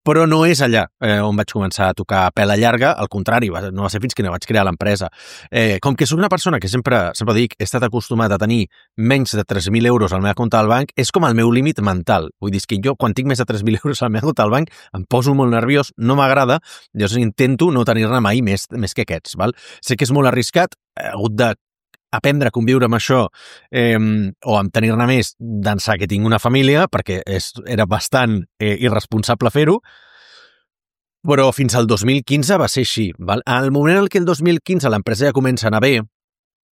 Però no és allà eh, on vaig començar a tocar a pela llarga, al contrari, va, no va ser fins que no vaig crear l'empresa. Eh, com que soc una persona que sempre, sempre dic, he estat acostumat a tenir menys de tres mil euros al meu compte al banc, és com el meu límit mental. Vull dir, que jo, quan tinc més de tres mil euros al meu compte al banc, em poso molt nerviós, no m'agrada, llavors intento no tenir-ne mai més, més que aquests, val? Sé que és molt arriscat, he hagut de aprendre a conviure amb això eh, o amb tenir-ne més d'ençà que tinc una família, perquè és, era bastant eh, irresponsable fer-ho, però fins al dos mil quinze va ser així. Val? Al moment en què el dos mil quinze l'empresa ja comença a anar bé,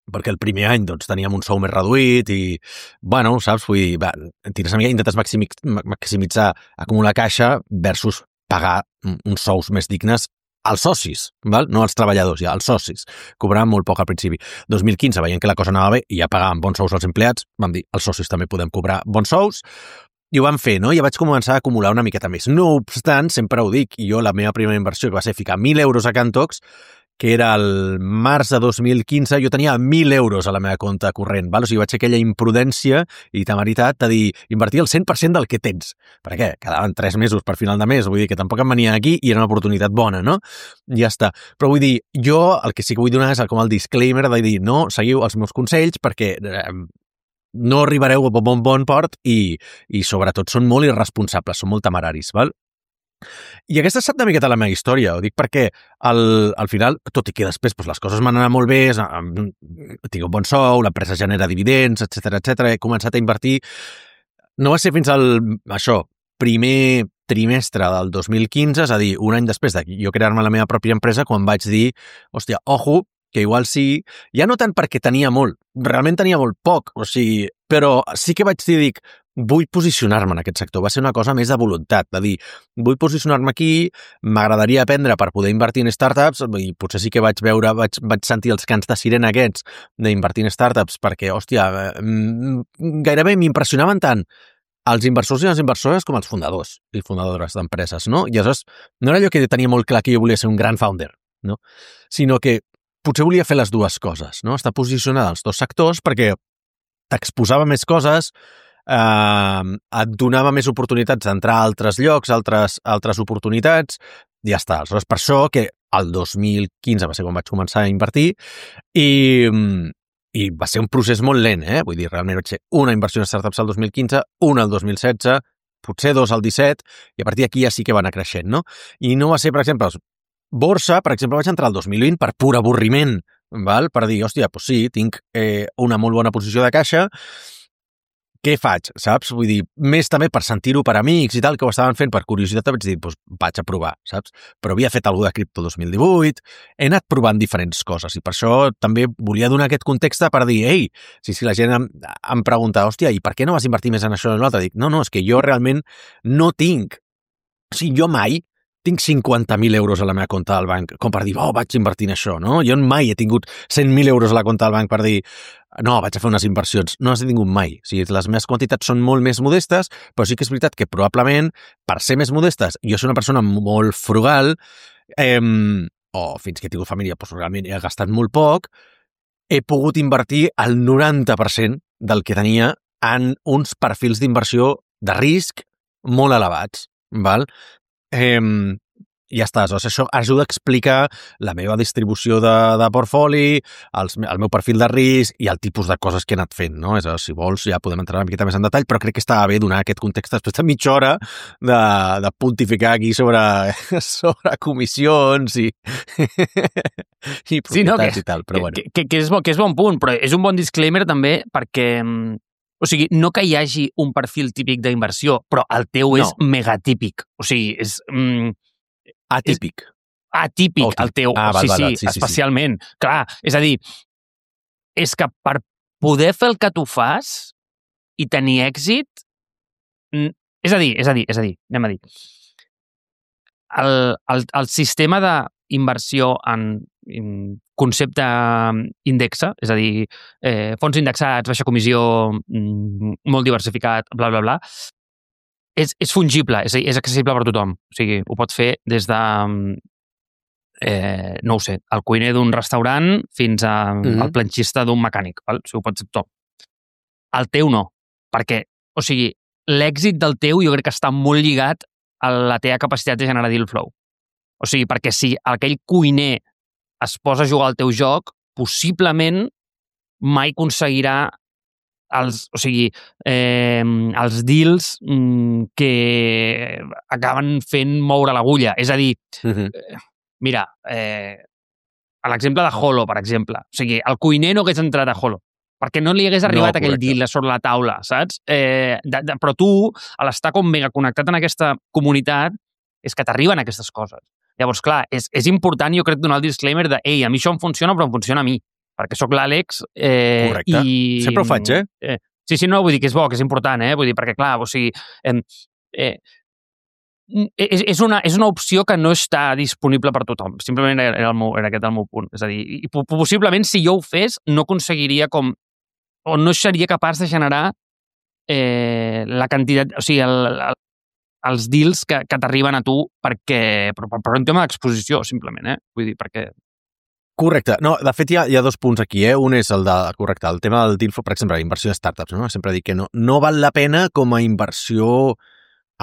perquè el primer any doncs, teníem un sou més reduït i, bueno, saps, vull dir, va, tires una mica, intentes maximitzar, acumular caixa versus pagar uns sous més dignes als socis, val? No als treballadors, ja, als socis. Cobraven molt poc al principi. dos mil quinze, veient que la cosa anava bé i ja pagaven bons sous als empleats, vam dir, els socis també podem cobrar bons sous, i ho vam fer, no? I ja vaig començar a acumular una miqueta més. No obstant, sempre ho dic, i jo la meva primera inversió, que va ser ficar mil euros a Cantox, que era el març de dos mil quinze, jo tenia mil euros a la meva compte corrent, val? O sigui, vaig fer aquella imprudència i temeritat de dir, invertir el cent per cent del que tens. Per què? Quedaven tres mesos per final de mes, vull dir que tampoc em venia aquí i era una oportunitat bona, no? Ja està. Però vull dir, jo el que sí que vull donar és com el disclaimer de dir, no, seguiu els meus consells perquè eh, no arribareu a bon bon port i, i sobretot són molt irresponsables, són molt temeraris, val? I aquesta ha estat una miqueta la meva història, ho dic perquè al, al final, tot i que després doncs, les coses m'han anat molt bé, tinc un bon sou, l'empresa genera dividends, etcètera, etcètera, he començat a invertir. No va ser fins al, això, primer trimestre del dos mil quinze, és a dir, un any després de jo crear-me la meva pròpia empresa, quan vaig dir, hòstia, ojo, que igual sí, ja no tant perquè tenia molt, realment tenia molt poc, o sigui, però sí que vaig dir, dic, vull posicionar-me en aquest sector. Va ser una cosa més de voluntat, de dir, vull posicionar-me aquí, m'agradaria aprendre per poder invertir en startups, i potser sí que vaig veure, vaig, vaig sentir els cants de sirena aquests d'invertir en startups, perquè, hòstia, gairebé m'impressionaven tant els inversors i les inversores com els fundadors i fundadores d'empreses, no? I aleshores, no era allò que tenia molt clar que jo volia ser un gran founder, no? Sinó que potser volia fer les dues coses, no? Estar posicionada als dos sectors perquè t'exposava més coses, eh, et donava més oportunitats d'entrar a altres llocs, altres, altres oportunitats, i ja està. Aleshores, per això que el dos mil quinze va ser quan vaig començar a invertir i, i va ser un procés molt lent, eh? Vull dir, realment vaig ser una inversió en startups al dos mil quinze, una al dos mil setze, potser dos al disset, i a partir d'aquí ja sí que va anar creixent, no? I no va ser, per exemple, borsa, per exemple, vaig entrar al dos mil vint per pur avorriment, val? Per dir, hòstia, doncs sí, tinc eh, una molt bona posició de caixa, què faig, saps? Vull dir, més també per sentir-ho per amics i tal, que ho estaven fent per curiositat, vaig dir, doncs vaig a provar, saps? Però havia fet alguna de cripto dos mil divuit, he anat provant diferents coses i per això també volia donar aquest context per dir, ei, si, si la gent em, em pregunta, hòstia, i per què no vas invertir més en això o en l'altre? Dic, no, no, és que jo realment no tinc, o sigui, jo mai tinc cinquanta mil euros a la meva compte del banc, com per dir, oh, vaig invertir en això, no? Jo mai he tingut cent mil euros a la compte del banc per dir, no, vaig a fer unes inversions. No les he tingut mai. O sigui, les meves quantitats són molt més modestes, però sí que és veritat que probablement, per ser més modestes, jo soc una persona molt frugal, eh, o fins que he tingut família, doncs realment he gastat molt poc, he pogut invertir el noranta per cent del que tenia en uns perfils d'inversió de risc molt elevats, val? Eh, ja està, doncs això ajuda a explicar la meva distribució de, de portfoli, els, el meu perfil de risc i el tipus de coses que he anat fent, no? És a dir, si vols ja podem entrar una miqueta més en detall, però crec que estava bé donar aquest context després de mitja hora de, de pontificar aquí sobre, sobre comissions i, i propietats sí, no, que, i tal, però que, bueno. Que, que, que, és bo, que és bon punt, però és un bon disclaimer també perquè... O sigui, no que hi hagi un perfil típic d'inversió, però el teu no. és megatípic. O sigui, és... Mm, atípic. És atípic, oh, el teu. Ah, val, sí, val, val, sí, sí, especialment. Sí, sí. Clar, és a dir, és que per poder fer el que tu fas i tenir èxit... És a dir, és a dir, és a dir, anem a dir. El, el, el sistema d'inversió en, en concepte indexa, és a dir, eh, fons indexats, baixa comissió, molt diversificat, bla, bla, bla, és, és fungible, és, és accessible per tothom. O sigui, ho pot fer des de eh, no ho sé, el cuiner d'un restaurant fins al Mhm. planxista d'un mecànic, val? Si ho pots ser tot. El teu no, perquè, o sigui, l'èxit del teu jo crec que està molt lligat a la teva capacitat de generar deal flow. O sigui, perquè si aquell cuiner es posa a jugar al teu joc, possiblement mai aconseguirà els, o sigui, eh, els deals mm, que acaben fent moure l'agulla. És a dir, Mhm. mira, eh, a l'exemple de Holo, per exemple. O sigui, el cuiner no hagués entrat a Holo, perquè no li hagués No, arribat aquell correcte. deal sobre la taula, saps? Eh, de, de, però tu, a l'estar com mega connectat en aquesta comunitat, és que t'arriben aquestes coses. Llavors, clar, és, és important, jo crec, donar el disclaimer de ei, a mi això em funciona, però em funciona a mi, perquè sóc l'Àlex eh, Correcte. i... Sempre ho faig, eh? eh? Sí, sí, no, vull dir que és bo, que és important, eh? Vull dir, perquè, clar, o sigui... Eh, eh, és, és, una, és una opció que no està disponible per tothom. Simplement era, era, el meu, era aquest el meu punt. És a dir, i possiblement si jo ho fes no aconseguiria com... o no seria capaç de generar eh, la quantitat... O sigui, el, el, els deals que, que t'arriben a tu perquè... Per, per, per un tema d'exposició, simplement, eh? Vull dir, perquè... Correcte. No, de fet, hi ha, hi ha dos punts aquí, eh? Un és el de... Correcte, el tema del deal flow, per exemple, la inversió de startups, no? Sempre dic que no, no val la pena com a inversió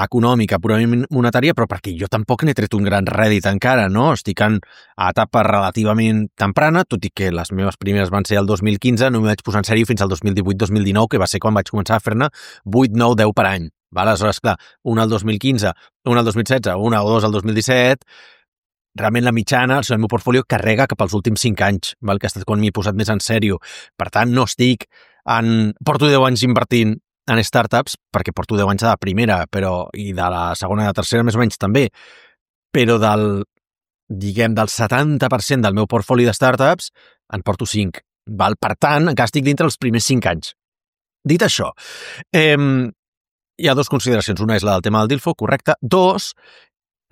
econòmica, purament monetària, però perquè jo tampoc n'he tret un gran rèdit encara, no? Estic en a etapa relativament temprana, tot i que les meves primeres van ser el dos mil quinze, no m'hi vaig posar en sèrio fins al dos mil divuit dos mil dinou, que va ser quan vaig començar a fer-ne vuit, nou, deu per any. Val? Aleshores, clar, una al dos mil quinze, una al dos mil setze, una o dos al dos mil disset, realment la mitjana, el meu portfolio carrega cap als últims cinc anys, val? Que ha estat quan m'hi he posat més en sèrio. Per tant, no estic en... Porto deu anys invertint en startups, perquè porto deu anys de la primera, però i de la segona i de la tercera més o menys també, però del, diguem, del setanta per cent del meu portfoli de startups en porto cinc. Val? Per tant, encara estic dintre els primers cinc anys. Dit això, eh, hi ha dues consideracions. Una és la del tema del deal flow, correcte. Dos,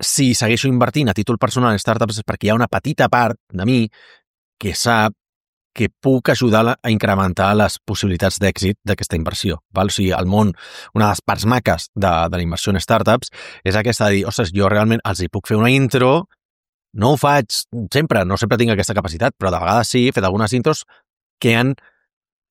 si segueixo invertint a títol personal en startups és perquè hi ha una petita part de mi que sap que puc ajudar a incrementar les possibilitats d'èxit d'aquesta inversió. Val? O sigui, al món, una de les parts maques de, de la inversió en startups és aquesta de dir, ostres, jo realment els hi puc fer una intro, no ho faig sempre, no sempre tinc aquesta capacitat, però de vegades sí, he fet algunes intros que han,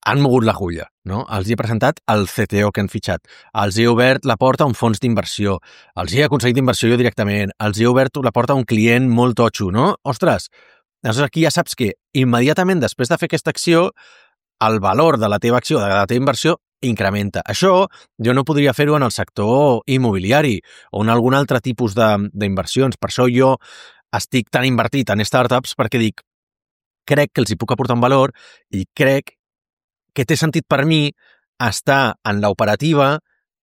han mogut l'agulla, no? Els hi he presentat el C T O que han fitxat, els he obert la porta a un fons d'inversió, els hi he aconseguit inversió jo directament, els hi he obert la porta a un client molt totxo, no? Ostres, aleshores aquí ja saps que immediatament després de fer aquesta acció el valor de la teva acció, de la teva inversió, incrementa. Això jo no podria fer-ho en el sector immobiliari o en algun altre tipus d'inversions. Per això jo estic tan invertit en startups perquè dic, crec que els hi puc aportar un valor i crec que té sentit per mi estar en l'operativa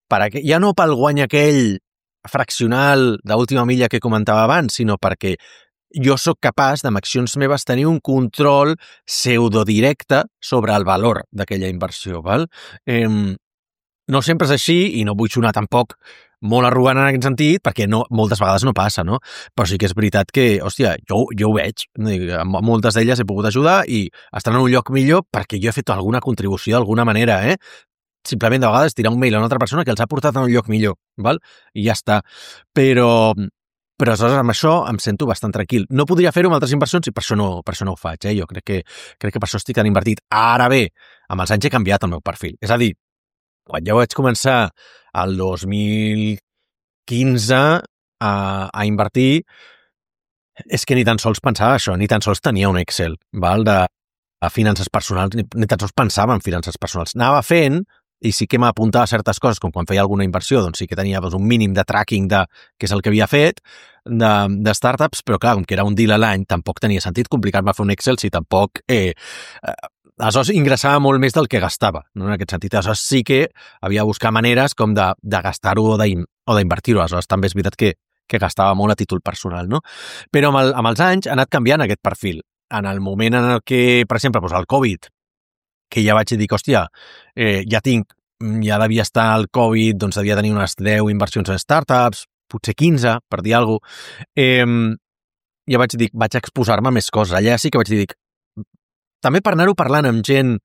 per a, ja no pel guany aquell fraccional d'última milla que comentava abans, sinó perquè jo sóc capaç, amb accions meves, tenir un control pseudodirecte sobre el valor d'aquella inversió. Val? Eh, no sempre és així i no vull sonar tampoc molt arrogant en aquest sentit, perquè no, moltes vegades no passa, no? Però sí que és veritat que, hòstia, jo, jo ho veig. Amb moltes d'elles he pogut ajudar i estan en un lloc millor perquè jo he fet alguna contribució d'alguna manera, eh? Simplement de vegades tirar un mail a una altra persona que els ha portat a un lloc millor, val? I ja està. Però... Però aleshores amb això em sento bastant tranquil. No podria fer-ho amb altres inversions i per això no, per això no ho faig. Eh? Jo crec que, crec que per això estic tan invertit. Ara bé, amb els anys he canviat el meu perfil. És a dir, quan jo vaig començar el dos mil quinze a, a invertir, és que ni tan sols pensava això, ni tan sols tenia un Excel, val? De, de finances personals, ni, ni tan sols pensava en finances personals. Anava fent, i sí que m'apuntava a certes coses, com quan feia alguna inversió, doncs sí que tenia doncs, un mínim de tracking de què és el que havia fet, de, de startups, però clar, com que era un deal a l'any, tampoc tenia sentit complicar-me a fer un Excel si tampoc... Eh, eh, aleshores ingressava molt més del que gastava, no? En aquest sentit. Aleshores sí que havia de buscar maneres com de, de gastar-ho o d'invertir-ho. Aleshores també és veritat que, que gastava molt a títol personal, no? Però amb, el, amb els anys ha anat canviant aquest perfil. En el moment en el que, per exemple, doncs el Covid, que ja vaig dir, hòstia, eh, ja tinc, ja devia estar el Covid, doncs devia tenir unes deu inversions en startups, potser quinze, per dir alguna cosa. Eh, ja vaig dir, vaig exposar-me a més coses. Allà sí que vaig dir, també per anar-ho parlant amb gent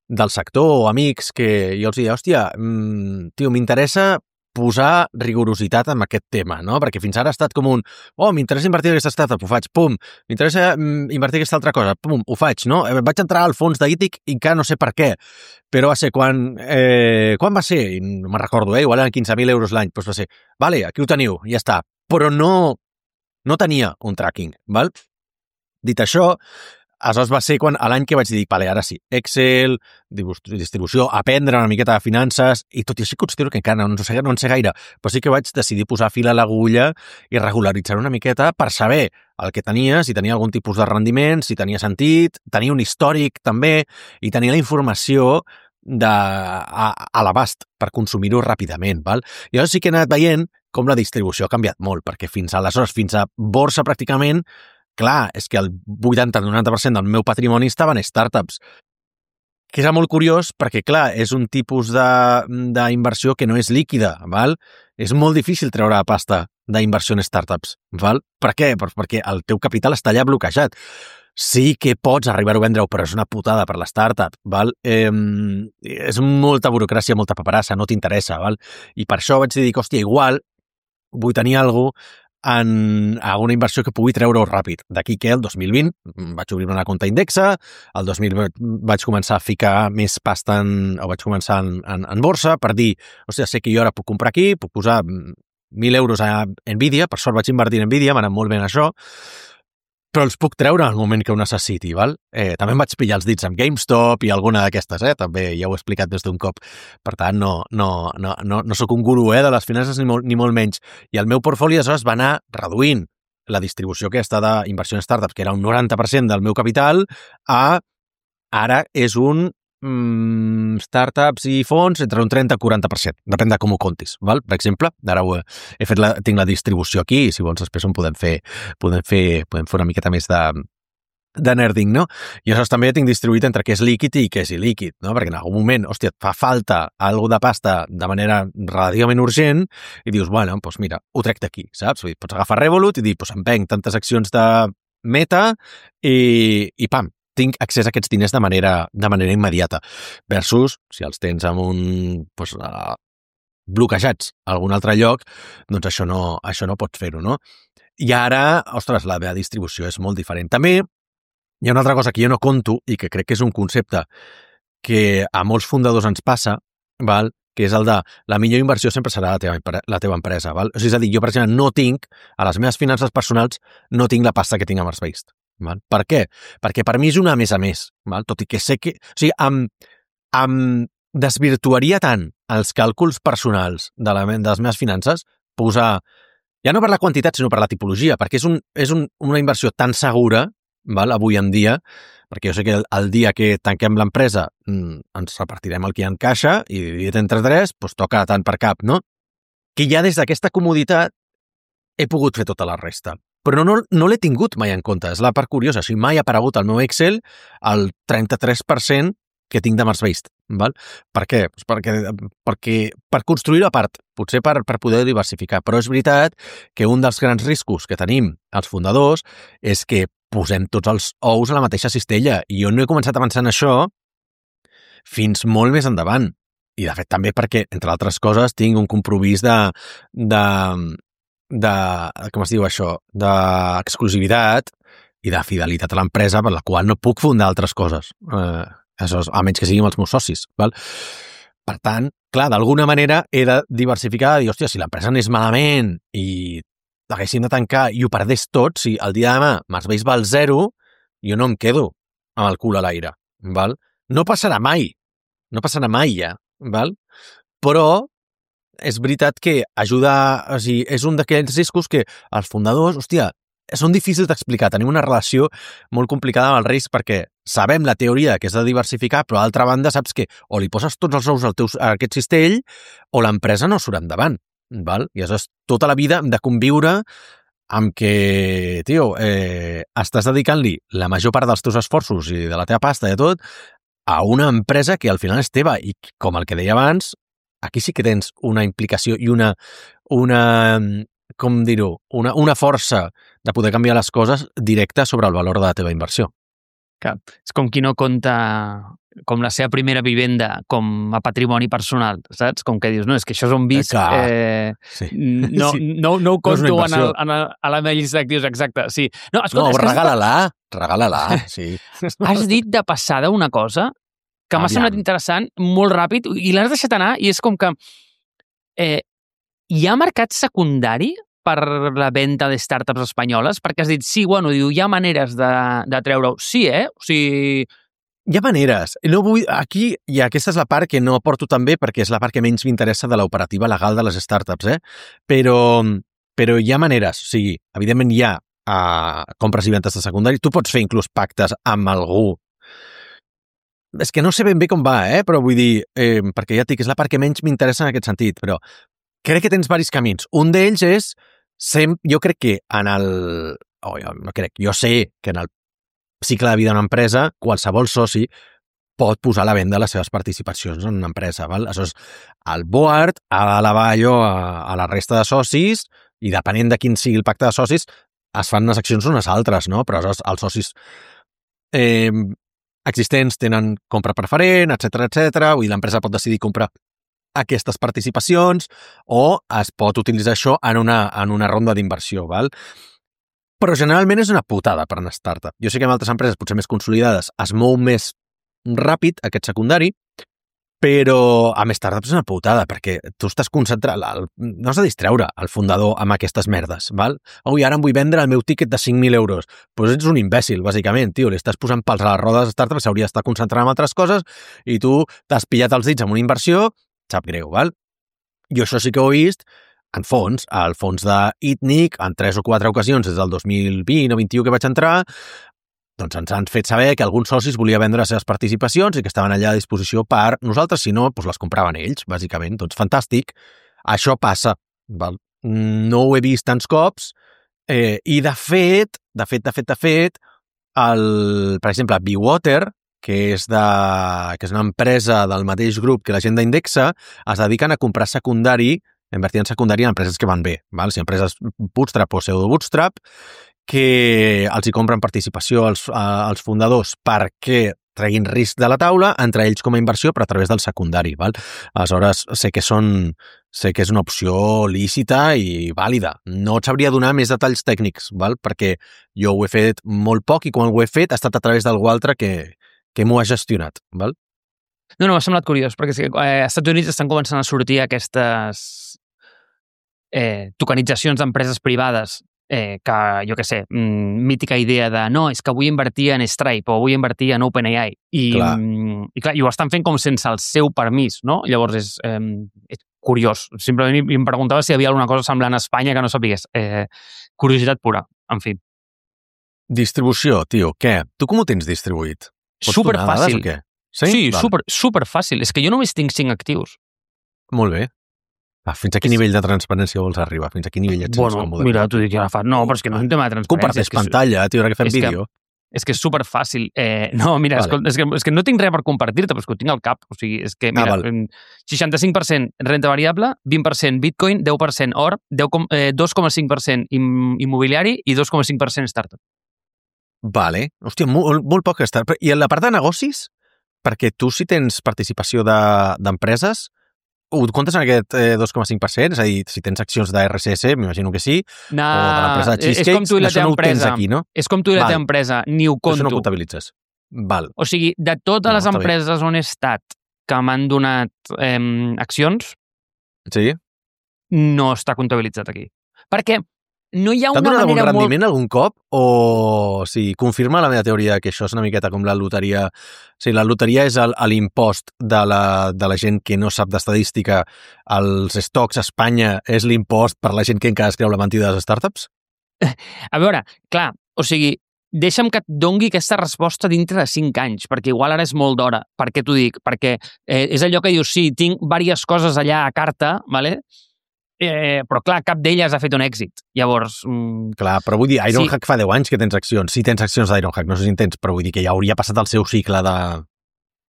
del sector o amics que jo els deia, hòstia, mm, tio, m'interessa posar rigorositat en aquest tema, no? Perquè fins ara ha estat com un, oh, m'interessa invertir en aquesta startup, ho faig, pum, m'interessa invertir en aquesta altra cosa, pum, ho faig, no? Vaig entrar al fons d'Ític i encara no sé per què, però va ser quan, eh, quan va ser? I no me'n recordo, eh? Igual eren quinze mil euros l'any, doncs va ser, vale, aquí ho teniu, ja està, però no, no tenia un tracking, val? Dit això, aleshores va ser quan l'any que vaig dir, vale, ara sí, Excel, distribució, aprendre una miqueta de finances, i tot i així considero que encara no en sé, no en sé gaire, però sí que vaig decidir posar fil a l'agulla i regularitzar una miqueta per saber el que tenia, si tenia algun tipus de rendiment, si tenia sentit, tenia un històric també, i tenia la informació de, a, a l'abast per consumir-ho ràpidament. Val? I llavors sí que he anat veient com la distribució ha canviat molt, perquè fins aleshores, fins a borsa pràcticament, clar, és que el vuitanta a noranta per cent del meu patrimoni estava en startups, que és molt curiós perquè, clar, és un tipus d'inversió que no és líquida, val? És molt difícil treure la pasta d'inversió en startups, val? Per què? Perquè el teu capital està allà bloquejat. Sí que pots arribar a vendre-ho, però és una putada per la startup, val? Eh, és molta burocràcia, molta paperassa, no t'interessa, val? I per això vaig dir, hòstia, igual vull tenir alguna cosa en alguna inversió que pugui treure-ho ràpid. D'aquí que el dos mil vint vaig obrir una compte Indexa, el dos mil vint vaig començar a ficar més pasta en, o vaig començar en, en, en borsa per dir, hòstia, sé que jo ara puc comprar aquí, puc posar mil euros a Nvidia, per sort vaig invertir en Nvidia, m'ha anat molt bé en això, però els puc treure en el moment que ho necessiti, val? Eh, també em vaig pillar els dits amb GameStop i alguna d'aquestes, eh? També ja ho he explicat des d'un cop. Per tant, no, no, no, no, no sóc un gurú eh, de les finances ni molt, ni molt menys. I el meu portfoli, aleshores, va anar reduint la distribució que està d'inversió en startups, que era un noranta per cent del meu capital, a ara és un mm, startups i fons entre un trenta i quaranta per cent. Depèn de com ho comptis, val? Per exemple, ara ho he, he fet la, tinc la distribució aquí i si vols després en podem fer, podem fer, podem fer una miqueta més de, de nerding, no? I aleshores també tinc distribuït entre què és líquid i què és il·líquid, no? Perquè en algun moment, hòstia, et fa falta alguna de pasta de manera relativament urgent i dius, bueno, doncs mira, ho trec d'aquí, saps? Vull dir, pots agafar Revolut i dir, doncs em venc tantes accions de Meta i, i pam, tinc accés a aquests diners de manera, de manera immediata. Versus, si els tens en un, doncs, uh, bloquejats a algun altre lloc, doncs això no, això no pots fer-ho, no? I ara, ostres, la meva distribució és molt diferent. També hi ha una altra cosa que jo no conto i que crec que és un concepte que a molts fundadors ens passa, val? Que és el de la millor inversió sempre serà la teva, la teva empresa. Val? O sigui, és a dir, jo, per exemple, no tinc, a les meves finances personals, no tinc la pasta que tinc a Marsbased. Val? Per què? Perquè per mi és una a més a més, val? Tot i que sé que... O sigui, em, em desvirtuaria tant els càlculs personals de, la, de les meves finances posar, ja no per la quantitat, sinó per la tipologia, perquè és, un, és un, una inversió tan segura, val? Avui en dia, perquè jo sé que el, el dia que tanquem l'empresa mmm, ens repartirem el que hi ha en caixa i dividit entre tres, doncs toca tant per cap, no? Que ja des d'aquesta comoditat he pogut fer tota la resta. Però no, no l'he tingut mai en compte, és la part curiosa. O sigui, mai ha aparegut al meu Excel el trenta-tres per cent que tinc de Marsbased. Val? Per què? Pues perquè, perquè per construir-ho a part, potser per, per poder diversificar. Però és veritat que un dels grans riscos que tenim els fundadors és que posem tots els ous a la mateixa cistella. I jo no he començat a pensar en això fins molt més endavant. I, de fet, també perquè, entre altres coses, tinc un compromís de... de de, com es diu això, d'exclusivitat i de fidelitat a l'empresa per la qual no puc fundar altres coses, eh, això és, a menys que siguin els meus socis. Val? Per tant, clar, d'alguna manera he de diversificar, de dir, hòstia, si l'empresa anés malament i l'haguéssim de tancar i ho perdés tot, si el dia de demà Marsbased val zero, jo no em quedo amb el cul a l'aire. Val? No passarà mai, no passarà mai ja, val? Però és veritat que ajuda, o sigui, és un d'aquells riscos que els fundadors, hòstia, són difícils d'explicar. Tenim una relació molt complicada amb el risc perquè sabem la teoria que és de diversificar, però a l'altra banda saps que o li poses tots els ous al teu, a aquest cistell o l'empresa no surt endavant. Val? I aleshores tota la vida hem de conviure amb que, tio, eh, estàs dedicant-li la major part dels teus esforços i de la teva pasta i de tot a una empresa que al final és teva i, com el que deia abans, aquí sí que tens una implicació i una, una com dir-ho, una, una força de poder canviar les coses directa sobre el valor de la teva inversió. Que és com qui no compta com la seva primera vivenda com a patrimoni personal, saps? Com que dius, no, és que això és on visc, eh, sí. no, sí. no, no ho conto no en, el, en el, a la meva llista d'actius, exacte. Sí. No, escolta, no és que regala-la, regala-la, sí. Has dit de passada una cosa que m'ha semblat interessant, molt ràpid, i l'has deixat anar, i és com que eh, hi ha mercat secundari per la venda de startups espanyoles? Perquè has dit, sí, bueno, diu, hi ha maneres de, de treure-ho. Sí, eh? O sigui... Hi ha maneres. No vull... Aquí, i aquesta és la part que no aporto també, perquè és la part que menys m'interessa de l'operativa legal de les startups, eh? Però, però hi ha maneres. O sigui, evidentment hi ha uh, compres i ventes de secundari. Tu pots fer inclús pactes amb algú. És que no sé ben bé com va, eh? Però vull dir, eh, perquè ja et dic, és la part que menys m'interessa en aquest sentit, però crec que tens diversos camins. Un d'ells és, sem... jo crec que en el... Oh, jo no crec, jo sé que en el cicle de vida d'una empresa, qualsevol soci pot posar a la venda les seves participacions en una empresa. Val? Aleshores, el board ha d'elevar allò a, a la resta de socis i depenent de quin sigui el pacte de socis, es fan unes accions unes altres, no? Però aleshores els socis eh, existents tenen compra preferent, etcètera, etcètera. Vull dir, l'empresa pot decidir comprar aquestes participacions o es pot utilitzar això en una, en una ronda d'inversió, val? Però generalment és una putada per una startup. Jo sé que en altres empreses, potser més consolidades, es mou més ràpid aquest secundari, però amb startups és una putada, perquè tu estàs concentrat, el, no has de distreure el fundador amb aquestes merdes, val? Ui, ara em vull vendre el meu tiquet de cinc mil euros. Doncs pues ets un imbècil, bàsicament, tio. Li estàs posant pals a les rodes de startup, s'hauria d'estar concentrant en altres coses i tu t'has pillat els dits amb una inversió, sap greu, val? Jo això sí que ho he vist en fons, al fons d'Itnic, en tres o quatre ocasions des del dos mil vint o vint-i-u que vaig entrar, doncs ens han fet saber que alguns socis volia vendre les seves participacions i que estaven allà a disposició per nosaltres, si no, doncs les compraven ells, bàsicament. Doncs fantàstic. Això passa. Val? No ho he vist tants cops eh, i de fet, de fet, de fet, de fet, el, per exemple, Bewater, que és, de, que és una empresa del mateix grup que l'agenda Indexa, es dediquen a comprar secundari, a invertir en secundari en empreses que van bé, val? Si empreses bootstrap o pseudo-bootstrap, que els hi compren participació als, als fundadors perquè treguin risc de la taula, entre ells com a inversió, però a través del secundari. Val? Aleshores, sé que, són, sé que és una opció lícita i vàlida. No et sabria donar més detalls tècnics, val? Perquè jo ho he fet molt poc i quan ho he fet ha estat a través d'algú altre que, que m'ho ha gestionat. Val? No, no, m'ha semblat curiós, perquè sí, eh, als Estats Units estan començant a sortir aquestes eh, tokenitzacions d'empreses privades eh, que, jo què sé, mítica idea de no, és que vull invertir en Stripe o vull invertir en OpenAI. I, clar. i, clar, i ho estan fent com sense el seu permís, no? Llavors és, eh, és curiós. Simplement em preguntava si hi havia alguna cosa semblant a Espanya que no sapigués. Eh, curiositat pura, en fi. Distribució, tio, què? Tu com ho tens distribuït? Pots super donar dades fàcil. o què? Sí, sí super, super fàcil. És que jo només tinc cinc actius. Molt bé. Ah, fins a quin nivell de transparència vols arribar? Fins a quin nivell et bueno, còmode? Mira, t'ho dic ja fa... No, però és que no és un tema de transparència. Comparteix pantalla, tio, ara que fem és vídeo. Que, és que és superfàcil. Eh, no, mira, vale. escolta, és, que, és que no tinc res per compartir-te, però és que ho tinc al cap. O sigui, és que, mira, ah, seixanta-cinc per cent renta variable, vint per cent Bitcoin, deu per cent or, eh, dos coma cinc per cent immobiliari i dos coma cinc per cent startup. Vale. Hòstia, molt, molt poc startup. I en la part de negocis? Perquè tu, si tens participació d'empreses, de, ho comptes en aquest eh, dos coma cinc per cent? És a dir, si tens accions d'R S S, m'imagino que sí, no, o de l'empresa de Cheesecakes, això no ho tens aquí, no? És com tu i la teva empresa, ni ho compto. Això no ho comptabilitzes. Val. O sigui, de totes no, les empreses bé. On he estat que m'han donat eh, accions, sí? No està comptabilitzat aquí. Perquè no hi ha una manera molt... T'ha donat algun rendiment molt... algun cop? O o sigui, confirma la meva teoria que això és una miqueta com la loteria. O sigui, la loteria és l'impost de, la, de la gent que no sap d'estadística. Els stocks a Espanya és l'impost per la gent que encara es creu la mentida de les startups? A veure, clar, o sigui, deixa'm que et dongui aquesta resposta dintre de cinc anys, perquè igual ara és molt d'hora. Per què t'ho dic? Perquè eh, és allò que dius, sí, tinc diverses coses allà a carta, ¿vale? Eh, però clar, cap d'elles ha fet un èxit. Llavors... Mm, clar, però vull dir, Ironhack sí. fa deu anys que tens accions. Sí, tens accions d'Ironhack, no sé si en tens, però vull dir que ja hauria passat el seu cicle de,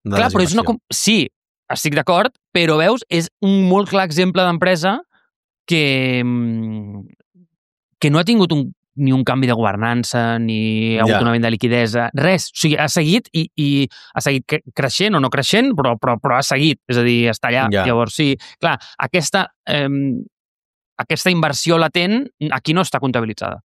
de clar, però és una... Sí, estic d'acord, però veus, és un molt clar exemple d'empresa que, que no ha tingut un ni un canvi de governança, ni ha hagut Ja. una venda de liquidesa, res. O sigui, ha seguit i, i ha seguit cre- creixent o no creixent, però, però, però ha seguit. És a dir, està allà. Ja. Llavors, sí, clar, aquesta, eh, aquesta inversió latent aquí no està comptabilitzada.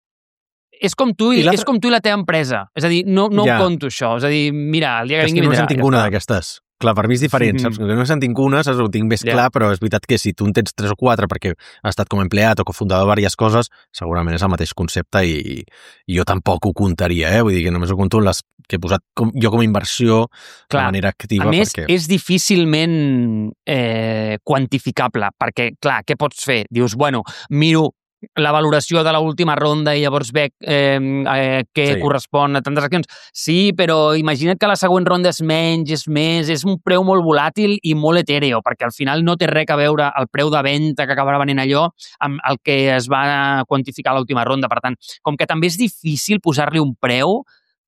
És com tu i, I l'altre- és com tu i la teva empresa. És a dir, no, no Ja. ho conto, això. És a dir, mira, el dia que És vingui que no vindrà. se'n tinc ja una està. d'aquestes. Clar, per mi és diferent, Mm. saps? Que no se'n tinc una, saps? Ho tinc més Ja. clar, però és veritat que si tu en tens tres o quatre perquè has estat com a empleat o cofundador de diverses coses, segurament és el mateix concepte i, i jo tampoc ho comptaria, eh? Vull dir que només ho compto en les que he posat com, jo com a inversió Clar, de manera activa. A més, perquè... és difícilment eh, quantificable, perquè, clar, què pots fer? Dius, bueno, miro la valoració de l'última ronda i llavors veig eh, eh, què Sí. sí. correspon a tantes accions. Sí, però imagina't que la següent ronda és menys, és més, és un preu molt volàtil i molt etèreo, perquè al final no té res a veure el preu de venda que acabarà venent allò amb el que es va quantificar a l'última ronda. Per tant, com que també és difícil posar-li un preu,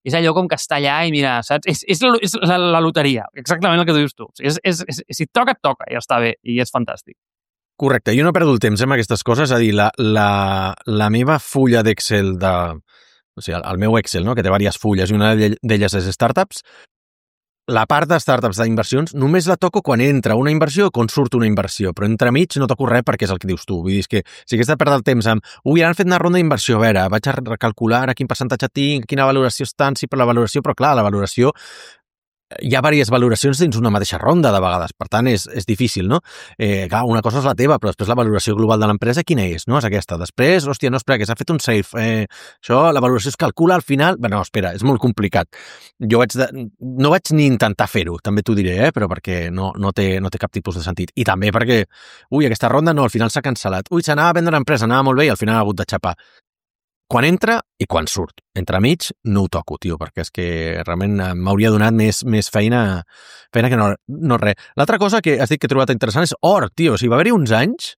és allò com que està allà i mira, saps? És, és, la, és la, la loteria, exactament el que dius tu. O sigui, és, és, és, si et toca, et toca, i ja està bé, i és fantàstic. Correcte, jo no perdo el temps eh, amb aquestes coses, és a dir, la, la, la meva fulla d'Excel, de, o sigui, el, el meu Excel, no? Que té diverses fulles i una d'elles és startups, la part de startups d'inversions només la toco quan entra una inversió o quan surt una inversió, però entremig no toco res perquè és el que dius tu. Vull dir, és que si hagués de perdre el temps amb ui, ara han fet una ronda d'inversió, a veure, vaig a recalcular a quin percentatge tinc, quina valoració estan, sí, per la valoració, però clar, la valoració hi ha diverses valoracions dins una mateixa ronda de vegades, per tant és, és difícil, no? Eh, clar, una cosa és la teva, però després la valoració global de l'empresa quina és, no? És aquesta. Després, hòstia, no, espera, que s'ha fet un safe. Eh, això, la valoració es calcula al final... Bé, no, espera, és molt complicat. Jo vaig de... no vaig ni intentar fer-ho, també t'ho diré, eh? Però perquè no, no, té, no té cap tipus de sentit. I també perquè, ui, aquesta ronda no, al final s'ha cancel·lat. Ui, s'anava a vendre l'empresa, anava molt bé i al final ha hagut de xapar. Quan entra i quan surt. Entremig no ho toco, tio, perquè és que realment m'hauria donat més, més feina, feina que no, no res. L'altra cosa que has dit que he trobat interessant és or, tio. O sigui, va haver-hi uns anys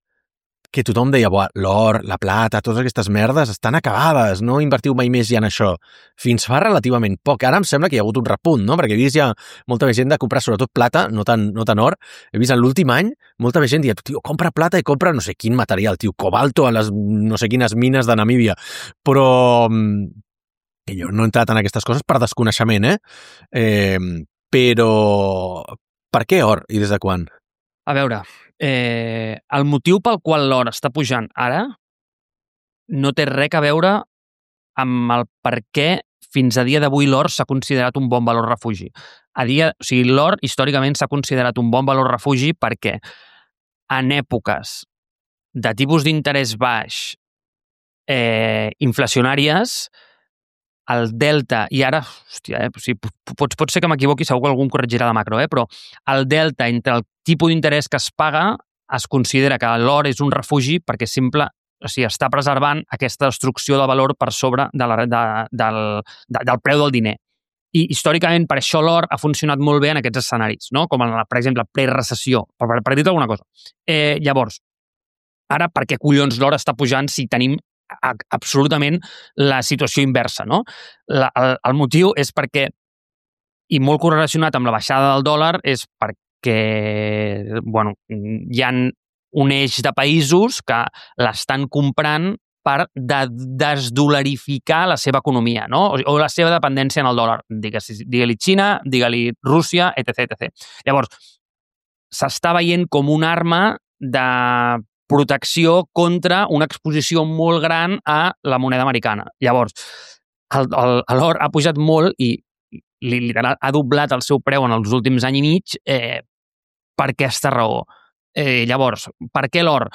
que tothom deia, l'or, la plata, totes aquestes merdes estan acabades, no invertiu mai més ja en això. Fins fa relativament poc. Ara em sembla que hi ha hagut un repunt, no? Perquè he vist ja molta més gent de comprar sobretot plata, no tant, no tant or. He vist en l'últim any molta més gent dient, tio, compra plata i compra no sé quin material, tio, cobalto a les no sé quines mines de Namíbia. Però que jo no he entrat en aquestes coses per desconeixement, eh? eh però per què or i des de quan? A veure, eh, el motiu pel qual l'or està pujant ara no té res a veure amb el per què fins a dia d'avui l'or s'ha considerat un bon valor refugi. A dia, o sigui, l'or històricament s'ha considerat un bon valor refugi perquè en èpoques de tipus d'interès baix eh, inflacionàries, el delta, i ara, hòstia, eh, o sigui, pot, pot ser que m'equivoqui, segur que algú em corregirà de macro, eh, però el delta entre el tipus d'interès que es paga es considera que l'or és un refugi perquè simple, o sigui, està preservant aquesta destrucció de valor per sobre de la, de, del, de, del preu del diner. I històricament per això l'or ha funcionat molt bé en aquests escenaris, no? Com en, per exemple, pre-recessió, per, per dir-te alguna cosa. Eh, llavors, ara per què collons l'or està pujant si tenim absolutament la situació inversa, no? La, el, el motiu és perquè, i molt correlacionat amb la baixada del dòlar, és perquè, bueno, hi ha un eix de països que l'estan comprant per de desdolarificar la seva economia, no? O, o la seva dependència en el dòlar. Digue-li digue Xina, digue-li Rússia, etc etcètera. Llavors, s'està veient com una arma de protecció contra una exposició molt gran a la moneda americana. Llavors, l'or ha pujat molt i literal ha doblat el seu preu en els últims any i mig eh, per aquesta raó. Eh, llavors, per què l'or?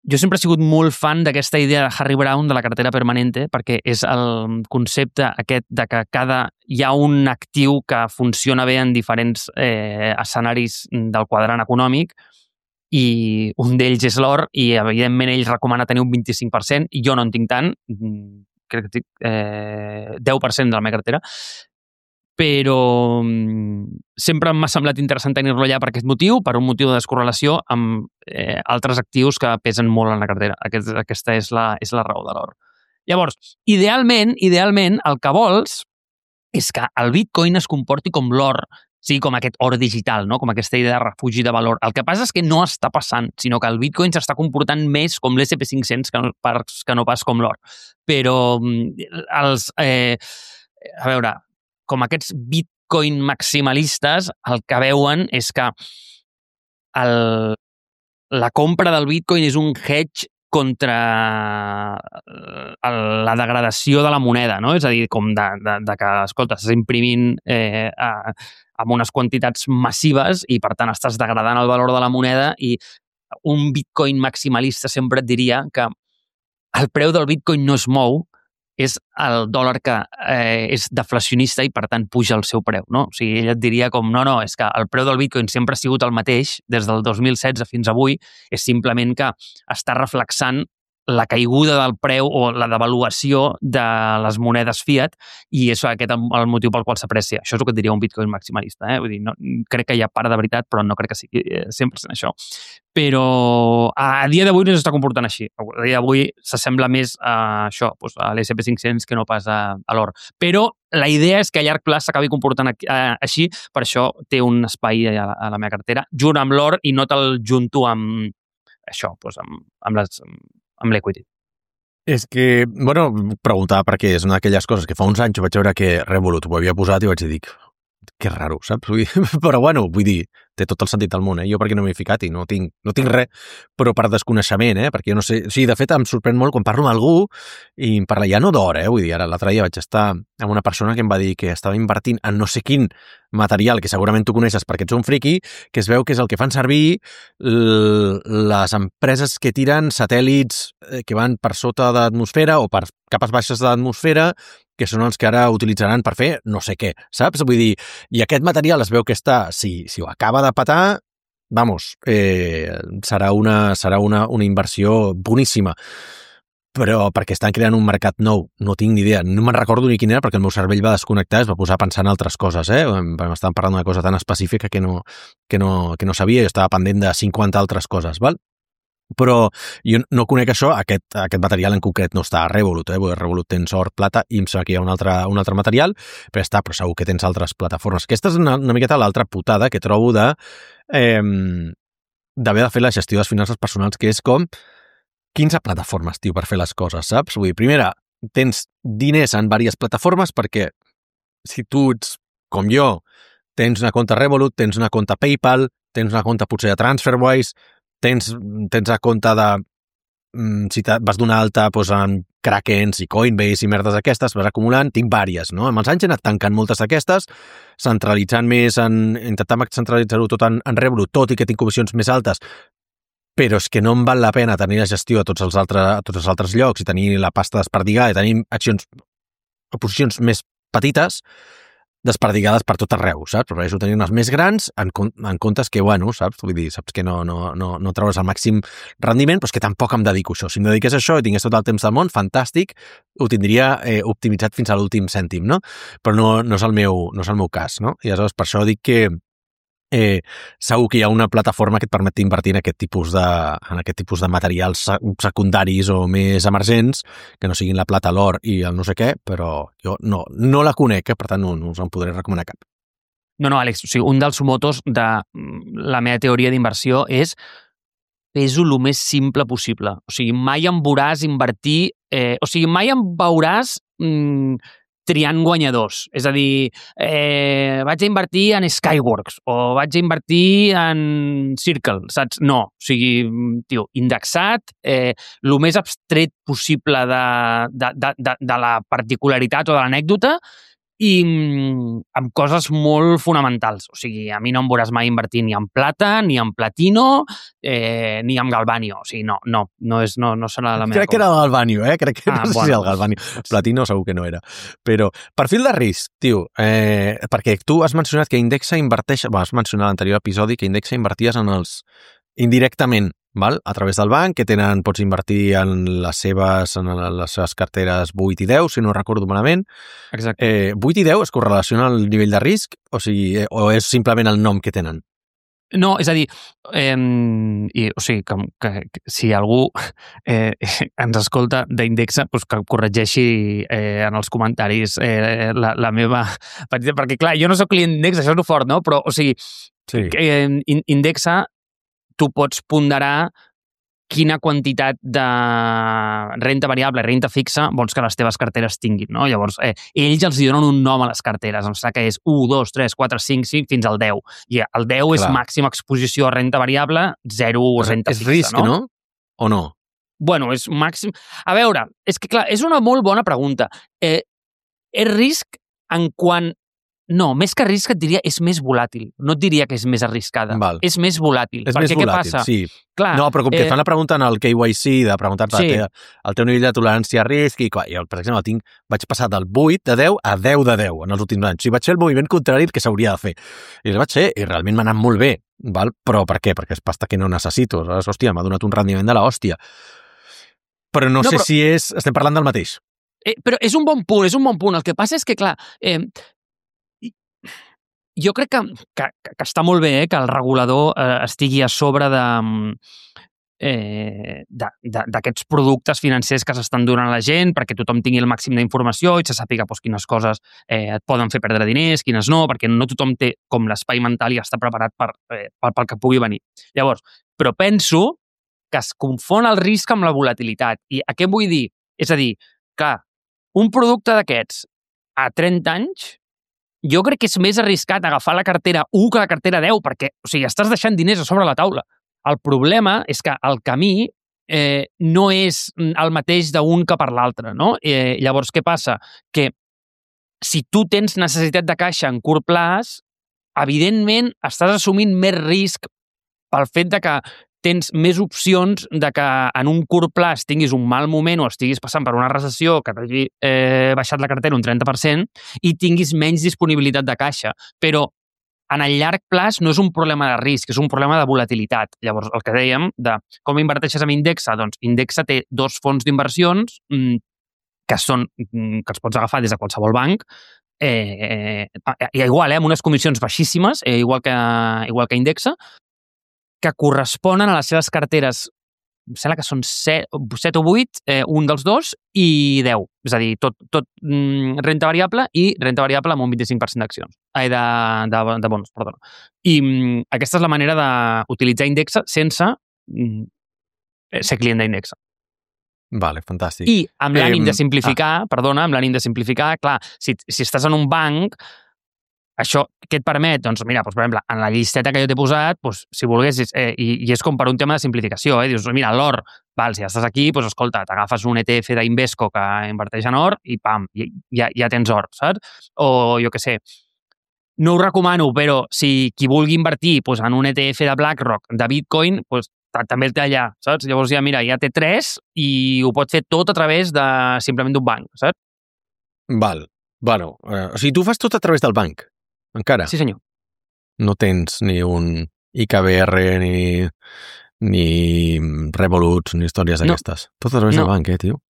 Jo sempre he sigut molt fan d'aquesta idea de Harry Brown de la cartera permanente, perquè és el concepte aquest de que cada hi ha un actiu que funciona bé en diferents eh, escenaris del quadrant econòmic, i un d'ells és l'or, i evidentment ell recomana tenir un vint-i-cinc per cent, i jo no en tinc tant, crec que tinc eh, deu per cent de la meva cartera, però sempre m'ha semblat interessant tenir-lo allà per aquest motiu, per un motiu de descorrelació amb eh, altres actius que pesen molt en la cartera. Aquest, aquesta és la, és la raó de l'or. Llavors, idealment, idealment, el que vols és que el Bitcoin es comporti com l'or, Sí, com aquest or digital, no? Com aquesta idea de refugi de valor. El que passa és que no està passant, sinó que el Bitcoin s'està comportant més com l'S and P cinc-cents que no, que no pas com l'or. Però els... Eh, a veure, com aquests Bitcoin maximalistes, el que veuen és que el, la compra del Bitcoin és un hedge contra la degradació de la moneda, no? És a dir, com de, de, de que, escolta, estàs imprimint eh, a, amb unes quantitats massives i, per tant, estàs degradant el valor de la moneda i un Bitcoin maximalista sempre et diria que el preu del Bitcoin no es mou, és el dòlar que eh, és deflacionista i, per tant, puja el seu preu, no? O sigui, ell et diria com, no, no, és que el preu del Bitcoin sempre ha sigut el mateix des del dos mil setze fins avui, és simplement que està reflexant la caiguda del preu o la devaluació de les monedes fiat i és aquest el, el motiu pel qual s'aprecia. Això és el que et diria un Bitcoin maximalista. Eh? Vull dir, no, crec que hi ha part de veritat, però no crec que sigui cent per cent això. Però a dia d'avui no s'està comportant així. A dia d'avui s'assembla més a això, doncs a l'S and P cinc-cents que no pas a, a l'or. Però la idea és que a llarg plaç s'acabi comportant així, per això té un espai a la, a la meva cartera, junt amb l'or i no te'l junto amb això, doncs amb, amb les... amb l'equity. És que, bueno, preguntava perquè és una d'aquelles coses que fa uns anys vaig veure que Revolut ho havia posat i vaig dir, que raro, saps? Vull dir, però bueno, vull dir, té tot el sentit del món, eh? Jo perquè no m'he ficat i no tinc, no tinc res, però per desconeixement, eh? Perquè jo no sé... O sigui, de fet, em sorprèn molt quan parlo amb algú i em parla ja no d'hora, eh? Vull dir, ara l'altre dia vaig estar amb una persona que em va dir que estava invertint en no sé quin material, que segurament tu coneixes perquè ets un friqui, que es veu que és el que fan servir les empreses que tiren satèl·lits que van per sota de l'atmosfera o per capes baixes de l'atmosfera, que són els que ara utilitzaran per fer no sé què, saps? Vull dir, i aquest material es veu que està, si, si ho acaba de petar, vamos, eh, serà, una, serà una, una inversió boníssima. Però perquè estan creant un mercat nou, no tinc ni idea. No me'n recordo ni quin era perquè el meu cervell va desconnectar, es va posar a pensar en altres coses, eh? M'estaven parlant d'una cosa tan específica que no, que no, que no sabia, jo estava pendent de cinquanta altres coses, val? Però jo no conec això, aquest, aquest material en concret no està a Revolut, eh? Revolut tens or, plata i em sembla que hi ha un altre, un altre material, però està, però segur que tens altres plataformes. Aquesta és una, una miqueta l'altra putada que trobo de eh, d'haver de fer la gestió de les finances personals, que és com quinze plataformes, tio, per fer les coses, saps? Vull dir, primera, tens diners en diverses plataformes perquè si tu ets com jo, tens una compte Revolut, tens una compte PayPal, tens una compte potser de TransferWise, tens, tens la compte de... si vas donar alta doncs, en Krakens i Coinbase i merdes aquestes, vas acumulant, tinc vàries, no? Amb els anys he anat tancant moltes d'aquestes, centralitzant més en... intentant centralitzar-ho tot en, en Revolut, tot i que tinc comissions més altes, però és que no em val la pena tenir la gestió a tots els altres, a tots els altres llocs i tenir la pasta desperdigada i tenir accions o posicions més petites desperdigades per tot arreu, saps? Prefereixo tenir unes més grans en, en comptes que, bueno, saps? Vull dir, saps que no, no, no, no treus el màxim rendiment, però és que tampoc em dedico a això. Si em dediqués a això i tingués tot el temps del món, fantàstic, ho tindria eh, optimitzat fins a l'últim cèntim, no? Però no, no, és el meu, no és el meu cas, no? I aleshores per això dic que Eh, segur que hi ha una plataforma que et permet invertir en aquest tipus de, en aquest tipus de materials secundaris o més emergents, que no siguin la plata, l'or i el no sé què, però jo no, no la conec, eh? Per tant no, no us en podré recomanar cap. No, no, Àlex, o sigui, un dels motos de la meva teoria d'inversió és fes-ho el més simple possible. O sigui, mai em veuràs invertir... Eh, o sigui, mai em veuràs... Mm, triant guanyadors. És a dir, eh, vaig a invertir en Skyworks o vaig a invertir en Circle, saps? No. O sigui, tio, indexat, eh, el més abstret possible de, de, de, de, de la particularitat o de l'anècdota i amb coses molt fonamentals. O sigui, a mi no em veuràs mai invertir ni en plata, ni en platino, eh, ni en galvanio. O sigui, no, no, no, és, no, no serà la meva Crec cosa. Que era el galvanio, eh? Crec que ah, no sé bueno, si el galvanio. Platino segur que no era. Però, perfil de risc, tio, eh, perquè tu has mencionat que Indexa inverteix, bueno, has mencionat a l'anterior episodi que Indexa inverties en els indirectament, val? A través del banc, que tenen, pots invertir en les seves, en les seves carteres vuit i deu, si no recordo malament. Exacte. Eh, vuit i deu es correlaciona al nivell de risc? O sigui, o és simplement el nom que tenen? No, és a dir, eh, i, o sigui, que, que, que si algú eh, ens escolta d'Indexa, doncs que corregeixi eh, en els comentaris eh, la, la meva petita, perquè clar, jo no sóc client d'Indexa, això és el fort, no? Però, o sigui, Sí. eh, Indexa, tu pots ponderar quina quantitat de renta variable, renta fixa, vols que les teves carteres tinguin, no? Llavors, eh, ells els donen un nom a les carteres, em sembla que és u, dos, tres, quatre, cinc, cinc, fins al deu. I el deu Clar. és màxima exposició a renta variable, zero renta és fixa, risc, no? no? O no? Bueno, és màxim... A veure, és que clar, és una molt bona pregunta. Eh, és risc en quant... No, més que risc et diria és més volàtil. No et diria que és més arriscada. Val. És més volàtil. És Perquè més què volàtil, passa? sí. Clar, No, però com que eh, et fan la pregunta en el K Y C de preguntar-te Sí. sí. el teu nivell de tolerància a risc, i clar, jo, per exemple, tinc, vaig passar del vuit de deu a deu de deu en els últims anys. O sigui, vaig fer el moviment contrari al que s'hauria de fer. I el vaig fer, i realment m'ha anat molt bé. Val? Però per què? Perquè és pasta que no necessito. Aleshores, hòstia, m'ha donat un rendiment de la hòstia. Però no, No, sé però- si és... Estem parlant del mateix. Eh, però és un bon punt, és un bon punt. El que passa és que, clar, eh, jo crec que, que, que està molt bé eh, que el regulador eh, estigui a sobre de eh, d'aquests productes financers que s'estan donant a la gent perquè tothom tingui el màxim d'informació i se sàpiga doncs, quines coses eh, et poden fer perdre diners, quines no, perquè no tothom té com l'espai mental i està preparat per, eh, pel, pel que pugui venir. Llavors, però penso que es confon el risc amb la volatilitat. I a què vull dir? És a dir, que un producte d'aquests a trenta anys, jo crec que és més arriscat agafar la cartera u que la cartera deu, perquè o sigui, estàs deixant diners a sobre la taula. El problema és que el camí eh, no és el mateix d'un que per l'altre, no? Eh, llavors, què passa? Que si tu tens necessitat de caixa en curt plaç, evidentment estàs assumint més risc pel fet de que tens més opcions de que en un curt plaç tinguis un mal moment o estiguis passant per una recessió que t'hagi eh, baixat la cartera un trenta per cent i tinguis menys disponibilitat de caixa. Però en el llarg plaç no és un problema de risc, és un problema de volatilitat. Llavors, el que dèiem de com inverteixes amb Indexa, doncs Indexa té dos fons d'inversions mmm, que són mmm, que els pots agafar des de qualsevol banc, eh, eh, igual, eh, amb unes comissions baixíssimes, eh, igual, que, igual que Indexa, que corresponen a les seves carteres, em sembla que són set o vuit, eh, un dels dos, i deu. És a dir, tot, tot mm, renta variable i renta variable amb un vint-i-cinc per cent d'accions. Ai, de, de, de bons, perdona. I mm, aquesta és la manera d'utilitzar Indexa sense mm, ser client d'Indexa. Vale, fantàstic. I amb l'ànim Eh, de simplificar, ah. perdona, amb l'ànim de simplificar, clar, si, si estàs en un banc, això què et permet? Doncs mira, doncs, per exemple, en la llisteta que jo t'he posat, doncs, si volguessis, eh, i, i és com per un tema de simplificació, eh, dius, mira, l'or, val, si ja estàs aquí, doncs escolta, t'agafes un E T F d'Invesco que inverteix en or i pam, ja, ja tens or, saps? O jo què sé, no ho recomano, però si qui vulgui invertir doncs, en un E T F de BlackRock, de Bitcoin, doncs també el té allà, saps? Llavors ja, mira, ja té tres i ho pot fer tot a través de simplement d'un banc, saps? Val. Bueno, eh, o sigui, tu fas tot a través del banc, encara? Sí, senyor. No tens ni un I K B R, ni, ni Revolut, ni històries No. d'aquestes. Tot a través No. del banc, eh, tio?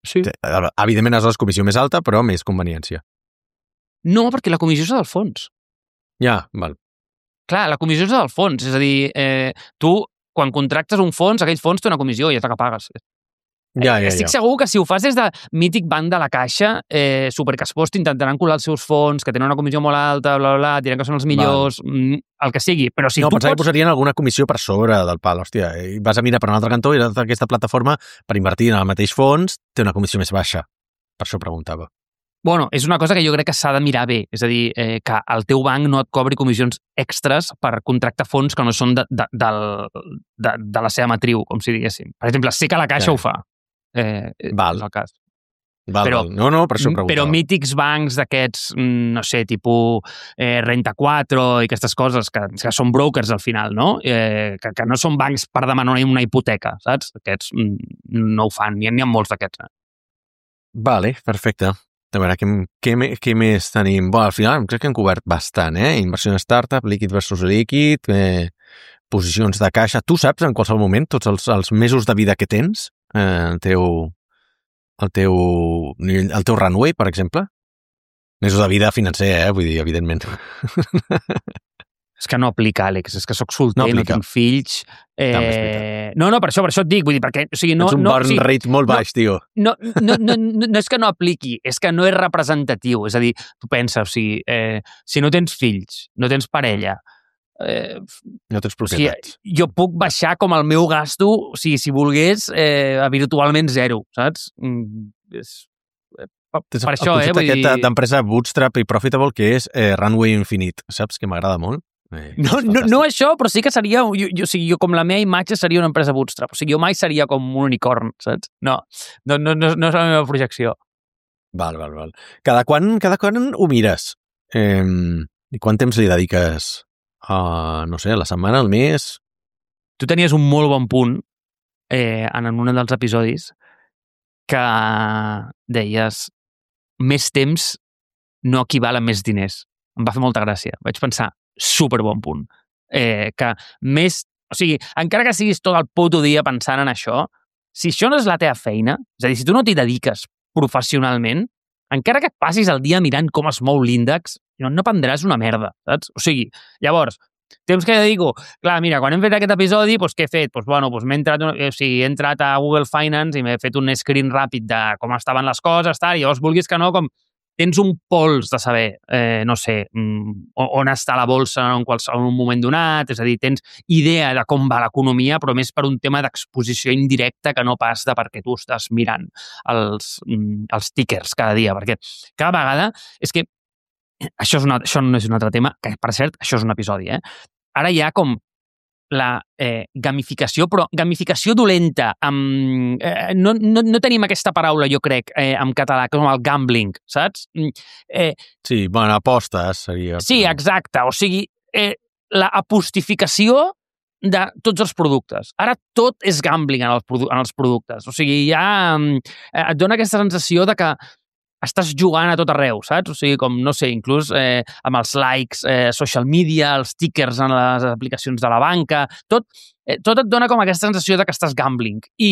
Sí. Evidentment, és la comissió més alta, però més conveniència. No, perquè la comissió és del fons. Ja, val. Clar, la comissió és del fons. És a dir, eh, tu, quan contractes un fons, aquell fons té una comissió i és la que pagues. Ja, ja, Estic ja. segur que si ho fas des de mític banc de la Caixa, eh, supercaspost, intentaran colar els seus fons, que tenen una comissió molt alta, bla, bla, bla, diran que són els millors, mm, el que sigui. Però si no, tu pensava pots... que posarien alguna comissió per sobre del pal, hòstia, i vas a mirar per un altre cantó i aquesta plataforma, per invertir en el mateix fons, té una comissió més baixa. Per això preguntava. Bueno, és una cosa que jo crec que s'ha de mirar bé. És a dir, eh, que el teu banc no et cobri comissions extres per contractar fons que no són de, de, de, de, de la seva matriu, com si diguéssim. Per exemple, sé que la Caixa Ja. ho fa. Eh, Val. És el cas. Val, Però- val. No, no, per això preguntava. Però mítics bancs d'aquests, mm, no sé, tipus eh, Renta quatre i aquestes coses, que, que són brokers al final, no? Eh, que, que no són bancs per demanar una hipoteca, saps? Aquests mm, no ho fan, n'hi ha, n'hi ha molts d'aquests. Eh? Vale, perfecte. A veure, què, què, me- què més tenim? Bueno, al final crec que hem cobert bastant, eh? Inversió en startup, líquid versus líquid, eh, posicions de caixa. Tu saps en qualsevol moment tots els, els mesos de vida que tens? Eh, el teu el teu, nivell- el teu runway, per exemple? Mesos de vida financer, eh? Vull dir, evidentment. És que no aplica, Àlex, és que sóc solter, No no, aplica. no tinc fills... Eh... No, no, per això, per això et dic, vull dir, perquè... O sigui, no, Ets un no, burn o sigui, rate molt baix, no, tio. No, no, no, no, no és que no apliqui, és que no és representatiu. És a dir, tu pensa, o sigui, eh, si no tens fills, no tens parella, eh, no tens o sigui, propietats. jo puc baixar com el meu gasto, o sigui, si volgués, eh, a virtualment zero, saps? Mm, és... Per, Tens per el això, eh? concepte Vull aquest dir... d'empresa bootstrap i profitable que és eh, Runway Infinite, saps? Que m'agrada molt. Eh, No, no, no això, però sí que seria... Jo, jo, o sigui, jo, com la meva imatge seria una empresa bootstrap. O sigui, jo mai seria com un unicorn, saps? No, no, no, no, no és la meva projecció. Val, val, val. Cada quan, cada quan ho mires? Eh, I quant temps li dediques a, no sé, a la setmana, al mes? Tu tenies un molt bon punt eh, en un dels episodis que deies més temps no equival a més diners. Em va fer molta gràcia. Vaig pensar, super bon punt. Eh, que més... O sigui, encara que siguis tot el puto dia pensant en això, si això no és la teva feina, és a dir, si tu no t'hi dediques professionalment, encara que et passis el dia mirant com es mou l'índex, no, no prendràs una merda, saps? O sigui, llavors, temps que dedico... Clar, mira, quan hem fet aquest episodi, doncs què he fet? Doncs, bueno, doncs m'he entrat, o sigui, he entrat a Google Finance i m'he fet un screen ràpid de com estaven les coses, tal, i llavors, vulguis que no, com tens un pols de saber, eh, no sé, on està la bolsa en, qualsevol, en un moment donat, és a dir, tens idea de com va l'economia, però més per un tema d'exposició indirecta que no pas de perquè tu estàs mirant els, els tickers cada dia, perquè cada vegada és que això, és una, això no és un altre tema, que per cert, això és un episodi, eh? Ara hi ha com la eh, gamificació, però gamificació dolenta. Amb, eh, no, no, no tenim aquesta paraula, jo crec, eh, en català, com el gambling, saps? Eh, sí, bueno, apostes seria... Sí, exacte. O sigui, eh, la apostificació de tots els productes. Ara tot és gambling en els, en els productes. O sigui, ja eh, et dona aquesta sensació de que estàs jugant a tot arreu, saps? O sigui, com, no sé, inclús eh, amb els likes, eh, social media, els tickers en les aplicacions de la banca, tot, eh, tot et dona com aquesta sensació de que estàs gambling. I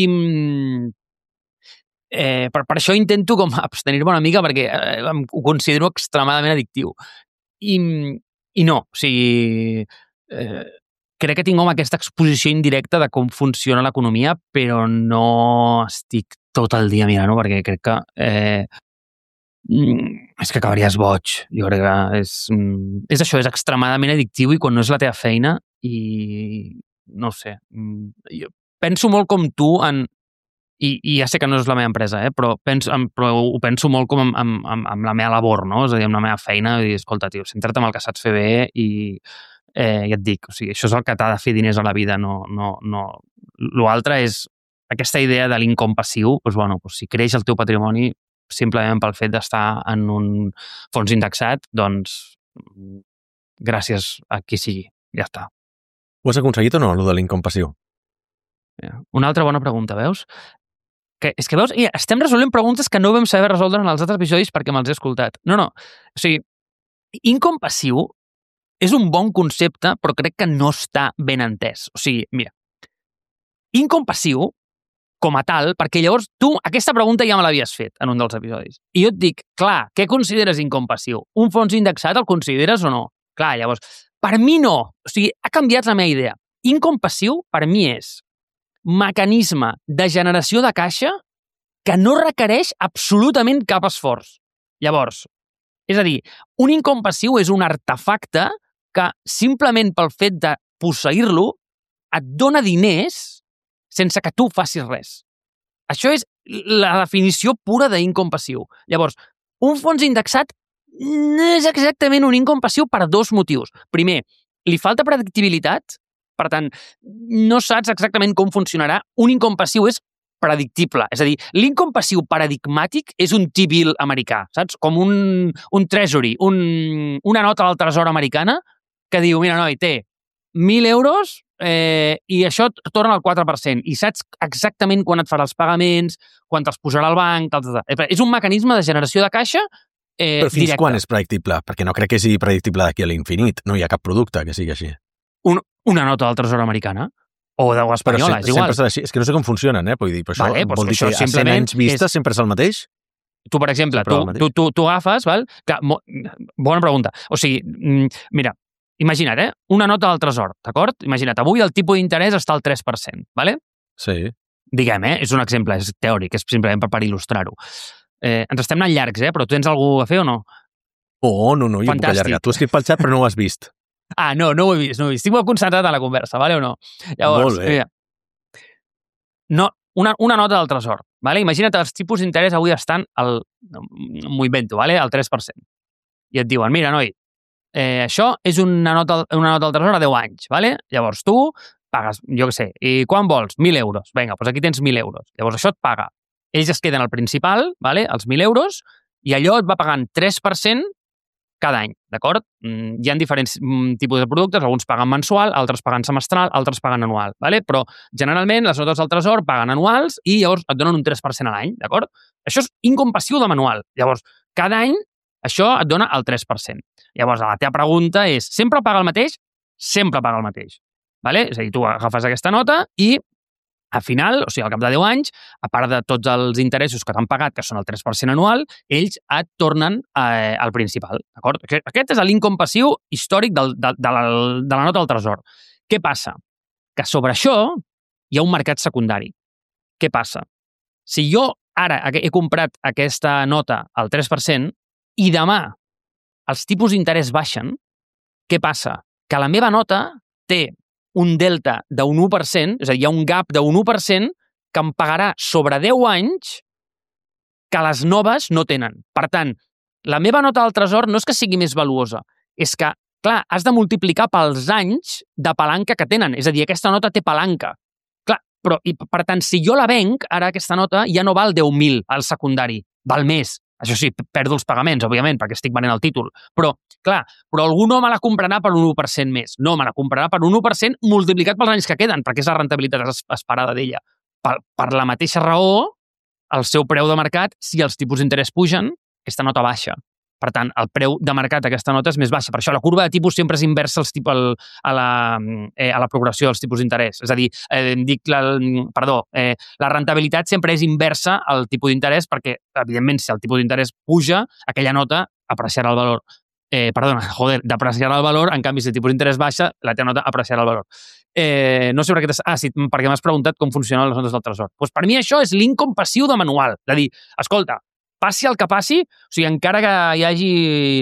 eh, per, per això intento com abstenir-me una mica perquè eh, ho considero extremadament addictiu. I, i no, o sigui... Eh, crec que tinc com aquesta exposició indirecta de com funciona l'economia, però no estic tot el dia mirant-ho perquè crec que... Eh, és que acabaries boig. Jo crec que és, és això, és extremadament addictiu i quan no és la teva feina i no sé, jo penso molt com tu en, i, i ja sé que no és la meva empresa, eh, però, penso, però ho penso molt com amb, amb, amb la meva labor, no? És a dir, amb la meva feina, i dir, escolta, tio, centra't en el que saps fer bé i eh, ja et dic, o sigui, això és el que t'ha de fer diners a la vida, no, no, no. L'altre és aquesta idea de l'income passiu, doncs, bueno, doncs, si creix el teu patrimoni simplement pel fet d'estar en un fons indexat, doncs gràcies a qui sigui, ja està. Ho has aconseguit o no, allò de l'income passiu? Una altra bona pregunta, veus? Que, és que veus, estem resolent preguntes que no vam saber resoldre en els altres episodis perquè me'ls he escoltat. No, no, o sigui, income passiu és un bon concepte, però crec que no està ben entès. O sigui, mira, income passiu com a tal, perquè llavors tu aquesta pregunta ja me l'havies fet en un dels episodis. I jo et dic, clar, què consideres income passiu? Un fons indexat el consideres o no? Clar, llavors, per mi no. O sigui, ha canviat la meva idea. Income passiu, per mi, és mecanisme de generació de caixa que no requereix absolutament cap esforç. Llavors, és a dir, un income passiu és un artefacte que simplement pel fet de posseir-lo et dona diners sense que tu facis res. Això és la definició pura d'income passiu. Llavors, un fons indexat no és exactament un income passiu per dos motius. Primer, li falta predictibilitat, per tant, no saps exactament com funcionarà. Un income passiu és predictible. És a dir, l'income passiu paradigmàtic és un T-bill americà, saps? Com un, un treasury, un, una nota del tresor americana que diu, mira, noi, té mil euros eh, i això et torna al quatre per cent i saps exactament quan et farà els pagaments, quan te'ls posarà al banc, tal, tal, tal. És un mecanisme de generació de caixa eh, Però fins directe. Quan és predictible? Perquè no crec que sigui predictible d'aquí a l'infinit. No hi ha cap producte que sigui així. Un, una nota del tresor americana o de l'espanyola, però és igual. Sempre així. És que no sé com funcionen, eh? Vull dir, però això vale, vol dir que, que a cent anys vista és... sempre és el mateix? Tu, per exemple, tu, tu, tu, tu agafes, val? Que, mo, bona pregunta. O sigui, mira, imagina't, eh? Una nota del tresor, d'acord? Imagina't, avui el tipus d'interès està al tres per cent, vale? Sí. Diguem, eh? És un exemple, és teòric, és simplement per, per il·lustrar-ho. Eh, ens estem anant llargs, eh? Però tu tens alguna a fer o no? Oh, no, no, jo puc allargar. Tu has escrit pel xat però no ho has vist. Ah, no, no ho he vist, no ho he vist. Estic molt concentrat en la conversa, vale o no? Llavors, molt bé. Mira, no, una, una nota del tresor, vale? Imagina't els tipus d'interès avui estan al, m'ho invento, vale? Al tres per cent. I et diuen, mira, noi, eh, això és una nota, una nota del tresor a deu anys, vale? Llavors tu pagues, jo què sé, i quan vols? mil euros. Vinga, doncs aquí tens mil euros. Llavors això et paga. Ells es queden al principal, vale? Els mil euros, i allò et va pagant tres per cent cada any, d'acord? Hi ha diferents tipus de productes, alguns paguen mensual, altres paguen semestral, altres paguen anual, ¿vale? Però generalment les notes del tresor paguen anuals i llavors et donen un tres per cent a l'any, d'acord? Això és incompassiu de manual. Llavors, cada any això et dona el tres per cent. Llavors, la teva pregunta és, sempre paga el mateix? Sempre paga el mateix, ¿vale? És a dir, tu agafes aquesta nota i al final, o sigui, al cap de deu anys, a part de tots els interessos que t'han pagat, que són el tres per cent anual, ells et tornen eh, al principal, d'acord? Aquest és l'income passiu històric del, de, de, la, de la nota del tresor. Què passa? Que sobre això hi ha un mercat secundari. Què passa? Si jo ara he comprat aquesta nota al tres per cent i demà els tipus d'interès baixen, què passa? Que la meva nota té un delta d'un u per cent, és a dir, hi ha un gap d'un u per cent que em pagarà sobre deu anys que les noves no tenen. Per tant, la meva nota del tresor no és que sigui més valuosa, és que, clar, has de multiplicar pels anys de palanca que tenen. És a dir, aquesta nota té palanca. Clar, però, i, per tant, si jo la venc, ara aquesta nota ja no val deu mil al secundari, val més. Això sí, perdo els pagaments, òbviament, perquè estic venent el títol. Però, clar, però algú no me la comprarà per un u per cent més. No, me la comprarà per un u per cent multiplicat pels anys que queden, perquè és la rentabilitat esperada d'ella. Per, per la mateixa raó, el seu preu de mercat, si els tipus d'interès pugen, aquesta nota baixa. Per tant, el preu de mercat d'aquesta nota és més baixa. Per això la curva de tipus sempre és inversa als tipus, al, a, la, eh, a la progressió dels tipus d'interès. És a dir, eh, dic la, perdó, eh, la rentabilitat sempre és inversa al tipus d'interès perquè, evidentment, si el tipus d'interès puja, aquella nota apreciarà el valor. Eh, perdona, joder, d'apreciarà el valor, en canvi, si el tipus d'interès baixa, la teva nota apreciarà el valor. Eh, no sé per què t'has... Ah, sí, perquè m'has preguntat com funcionen les notes del tresor. Doncs per mi això és l'income passiu de manual. De dir, escolta, passi el que passi, o sigui, encara que hi hagi,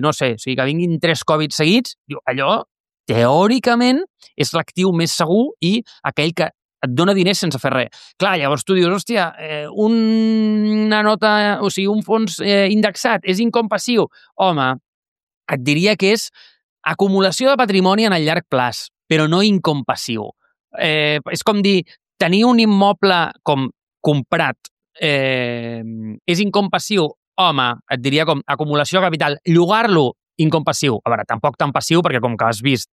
no sé, o sigui, que vinguin tres Covid seguits, allò, teòricament, és l'actiu més segur i aquell que et dona diners sense fer res. Clar, llavors tu dius, hòstia, eh, una nota, o sigui, un fons eh, indexat és income passiu. Home, et diria que és acumulació de patrimoni en el llarg plaç, però no income passiu. Eh, és com dir, tenir un immoble com comprat Eh, és income passiu? Home, et diria com acumulació de capital. Llogar-lo, income passiu. A veure, tampoc tan passiu, perquè com que has vist,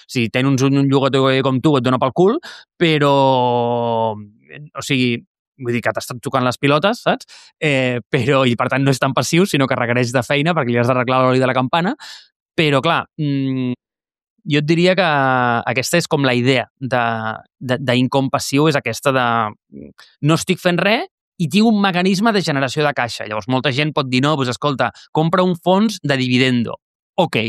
si tens un llogater com tu et dona pel cul, però, o sigui, vull dir que t'estan tocant les pilotes, saps? Eh, però, i per tant no és tan passiu, sinó que requereix de feina perquè li has d'arreglar l'oli de la campana. Però, clar, mmm, jo et diria que aquesta és com la idea d'income passiu, és aquesta de no estic fent res i tinc un mecanisme de generació de caixa. Llavors, molta gent pot dir, no, doncs escolta, compra un fons de dividendo. Ok,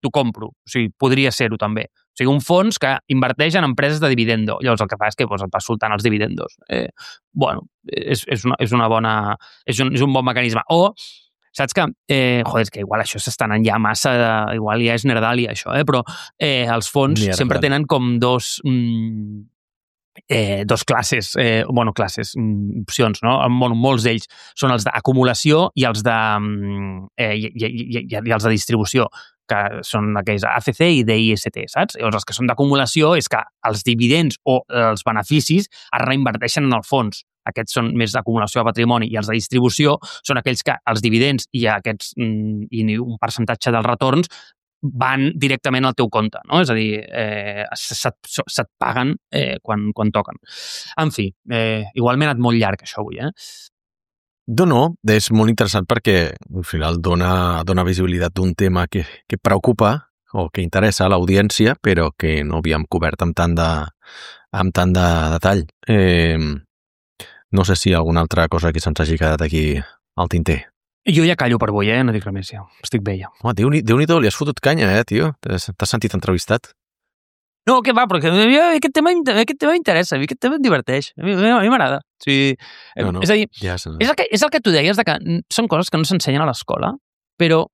t'ho compro. O sigui, podria ser-ho també. O sigui, un fons que inverteix en empreses de dividendo. Llavors, el que fa és que doncs, et vas soltant els dividendos. Eh, bueno, és, és, una, és una bona... És un, és un bon mecanisme. O, saps que... Eh, joder, és que igual això s'està anant ja massa... De, igual ja és nerdalia, això, eh? Però eh, els fons Mierda. sempre tenen com dos... Mm, Eh, dos classes, eh, bueno, classes, mm, opcions, no? Bueno, molts d'ells són els d'acumulació i els de eh, i, i, i, i els de distribució, que són aquells A C C i D I S T, saps? Llavors, els que són d'acumulació és que els dividends o els beneficis es reinverteixen en el fons. Aquests són més d'acumulació de patrimoni i els de distribució són aquells que els dividends i aquests mm, i un percentatge dels retorns van directament al teu compte, no? És a dir, eh, se't, se't paguen eh, quan, quan toquen. En fi, eh, igual m'he anat molt llarg això avui, eh? No, no, és molt interessant perquè al final dona, dona visibilitat d'un tema que, que preocupa o que interessa a l'audiència, però que no havíem cobert amb tant de, amb tant de detall. Eh, no sé si hi ha alguna altra cosa que se'ns hagi quedat aquí al tinter. Jo ja callo per avui, eh? No dic res més, ja. Estic bé, ja. Home, Déu-n'hi- Déu-n'hi-do, li has fotut canya, eh, tio? T'has t'has sentit entrevistat? No, què va, perquè a mi aquest tema, aquest tema m'interessa, a mi aquest tema em diverteix, a mi a mi m'agrada. O sigui, No, no, és a dir, ja se... és el, que, és el que tu deies, de que són coses que no s'ensenyen a l'escola, però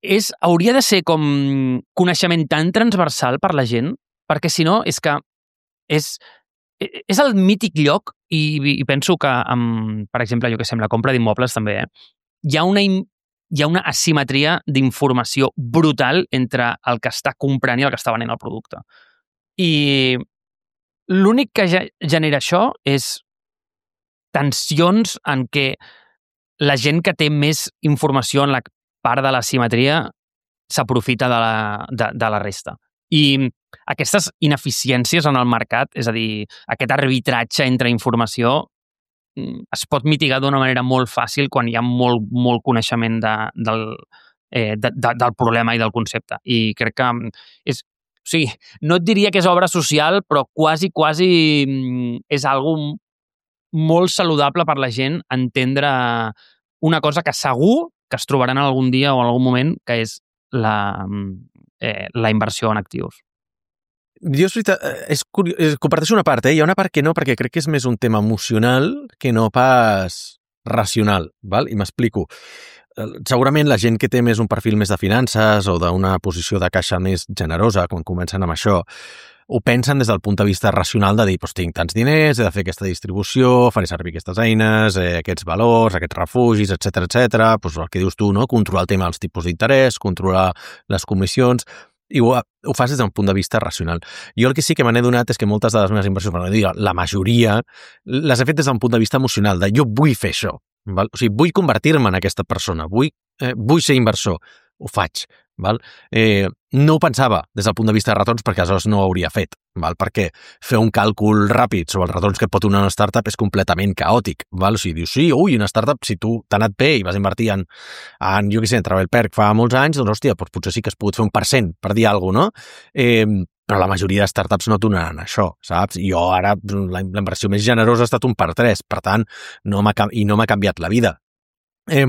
és, hauria de ser com coneixement tan transversal per la gent, perquè si no, és que és, és el mític lloc, i, i penso que, amb, per exemple, jo que sé, amb la compra d'immobles també, eh, hi ha una, hi ha una asimetria d'informació brutal entre el que està comprant i el que està venent el producte. I l'únic que ja genera això és tensions en què la gent que té més informació en la part de la simetria s'aprofita de, la, de, de la resta. I aquestes ineficiències en el mercat, és a dir, aquest arbitratge entre informació, es pot mitigar d'una manera molt fàcil quan hi ha molt, molt coneixement de, del, eh, de, de, del problema i del concepte. I crec que és... O sigui, no et diria que és obra social, però quasi, quasi és algo molt saludable per la gent entendre una cosa que segur que es trobaran algun dia o en algun moment, que és la, eh, la inversió en actius. Jo, és veritat, és curiós, és, comparteixo una part, eh? Hi ha una part que no, perquè crec que és més un tema emocional que no pas racional, val? I m'explico. Segurament la gent que té més un perfil més de finances o d'una posició de caixa més generosa, quan comencen amb això, ho pensen des del punt de vista racional de dir, doncs tinc tants diners, he de fer aquesta distribució, faré servir aquestes eines, eh, aquests valors, aquests refugis, etcètera, etcètera. Doncs el que dius tu, no? Controlar el tema dels tipus d'interès, controlar les comissions, i ho, ho fas des d'un punt de vista racional. Jo el que sí que me n'he donat és que moltes de les meves inversions, per no dir la majoria, les he fet des d'un punt de vista emocional, de jo vull fer això, val? O sigui, vull convertir-me en aquesta persona, vull, eh, vull ser inversor, ho faig, val? Eh, no ho pensava des del punt de vista de retorns perquè aleshores no ho hauria fet, val? Perquè fer un càlcul ràpid sobre els retorns que pot donar una startup és completament caòtic, val? O sigui, dius, sí, ui, una startup, si tu t'ha anat bé i vas invertir en, en jo què sé, en TravelPerk fa molts anys, doncs, hòstia, doncs potser sí que has pogut fer un per cent, per dir alguna cosa, no? Eh, però la majoria de startups no donaran això, saps? Jo ara, la, la inversió més generosa ha estat un per tres, per tant, no m'ha, i no m'ha canviat la vida. Eh,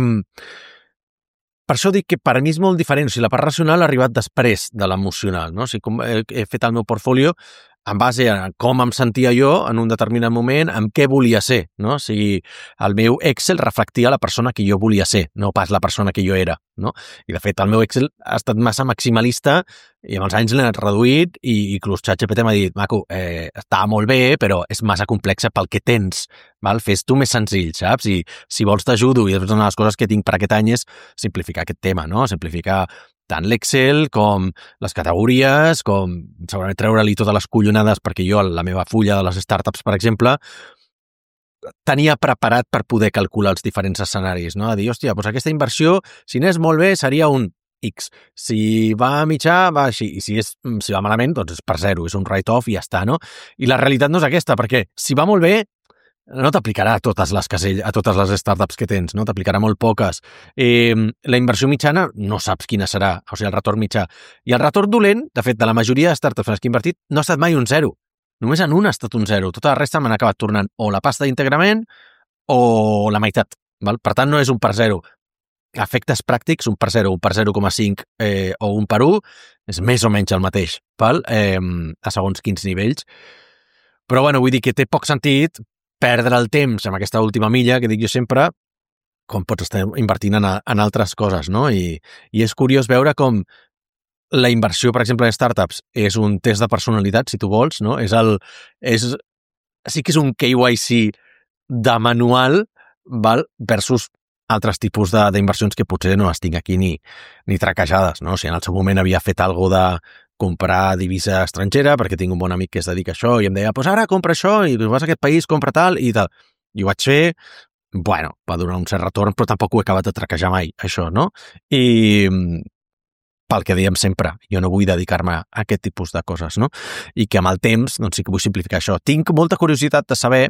Per això dic que per mi és molt diferent. O sigui, la part racional ha arribat després de l'emocional, no? O sigui, com he, he fet el meu portfolio en base a com em sentia jo en un determinat moment, amb què volia ser, no? O sigui, el meu Excel reflectia la persona que jo volia ser, no pas la persona que jo era, no? I, de fet, el meu Excel ha estat massa maximalista i amb els anys l'he anat reduït i, i inclús ChatGPT m'ha dit, maco, eh, està molt bé, però és massa complexa pel que tens, val? Fes tu més senzill, saps? I si vols t'ajudo, i una de les coses que tinc per aquest any és simplificar aquest tema, no? Simplificar tant l'Excel com les categories, com segurament treure-li totes les collonades, perquè jo, la meva fulla de les startups, per exemple, tenia preparat per poder calcular els diferents escenaris, no? A dir, hòstia, doncs aquesta inversió, si n'és molt bé, seria un X. Si va a mitjà, va així. I si, és, si va malament, doncs és per zero, és un write-off i ja està, no? I la realitat no és aquesta, perquè si va molt bé, no t'aplicarà a totes les caselles, a totes les startups que tens, no? T'aplicarà molt poques. Eh, la inversió mitjana no saps quina serà, o sigui, el retorn mitjà. I el retorn dolent, de fet, de la majoria de startups en les que he invertit, no ha estat mai un zero. Només en una ha estat un zero. Tota la resta m'han acabat tornant o la pasta d'integrament o la meitat. Val? Per tant, no és un per zero. Efectes pràctics, un per zero, un per zero coma cinc eh, o un per un, és més o menys el mateix, val? Eh, a segons quins nivells. Però, bueno, vull dir que té poc sentit perdre el temps amb aquesta última milla, que dic jo sempre, com pots estar invertint en, a, en altres coses, no? I, I és curiós veure com la inversió, per exemple, en startups és un test de personalitat, si tu vols, no? És el, és, sí que és un K Y C de manual, val? Versus altres tipus d'inversions que potser no les tinc aquí ni, ni traquejades, no? O sigui, en el seu moment havia fet alguna de comprar divisa estrangera, perquè tinc un bon amic que es dedica a això, i em deia, pues ara compra això, i vas a aquest país, compra tal, i tal. I ho vaig fer, bueno, va donar un cert retorn, però tampoc ho he acabat de traquejar mai, això, no? I pel que dèiem sempre, jo no vull dedicar-me a aquest tipus de coses, no? I que amb el temps, doncs sí que vull simplificar això. Tinc molta curiositat de saber,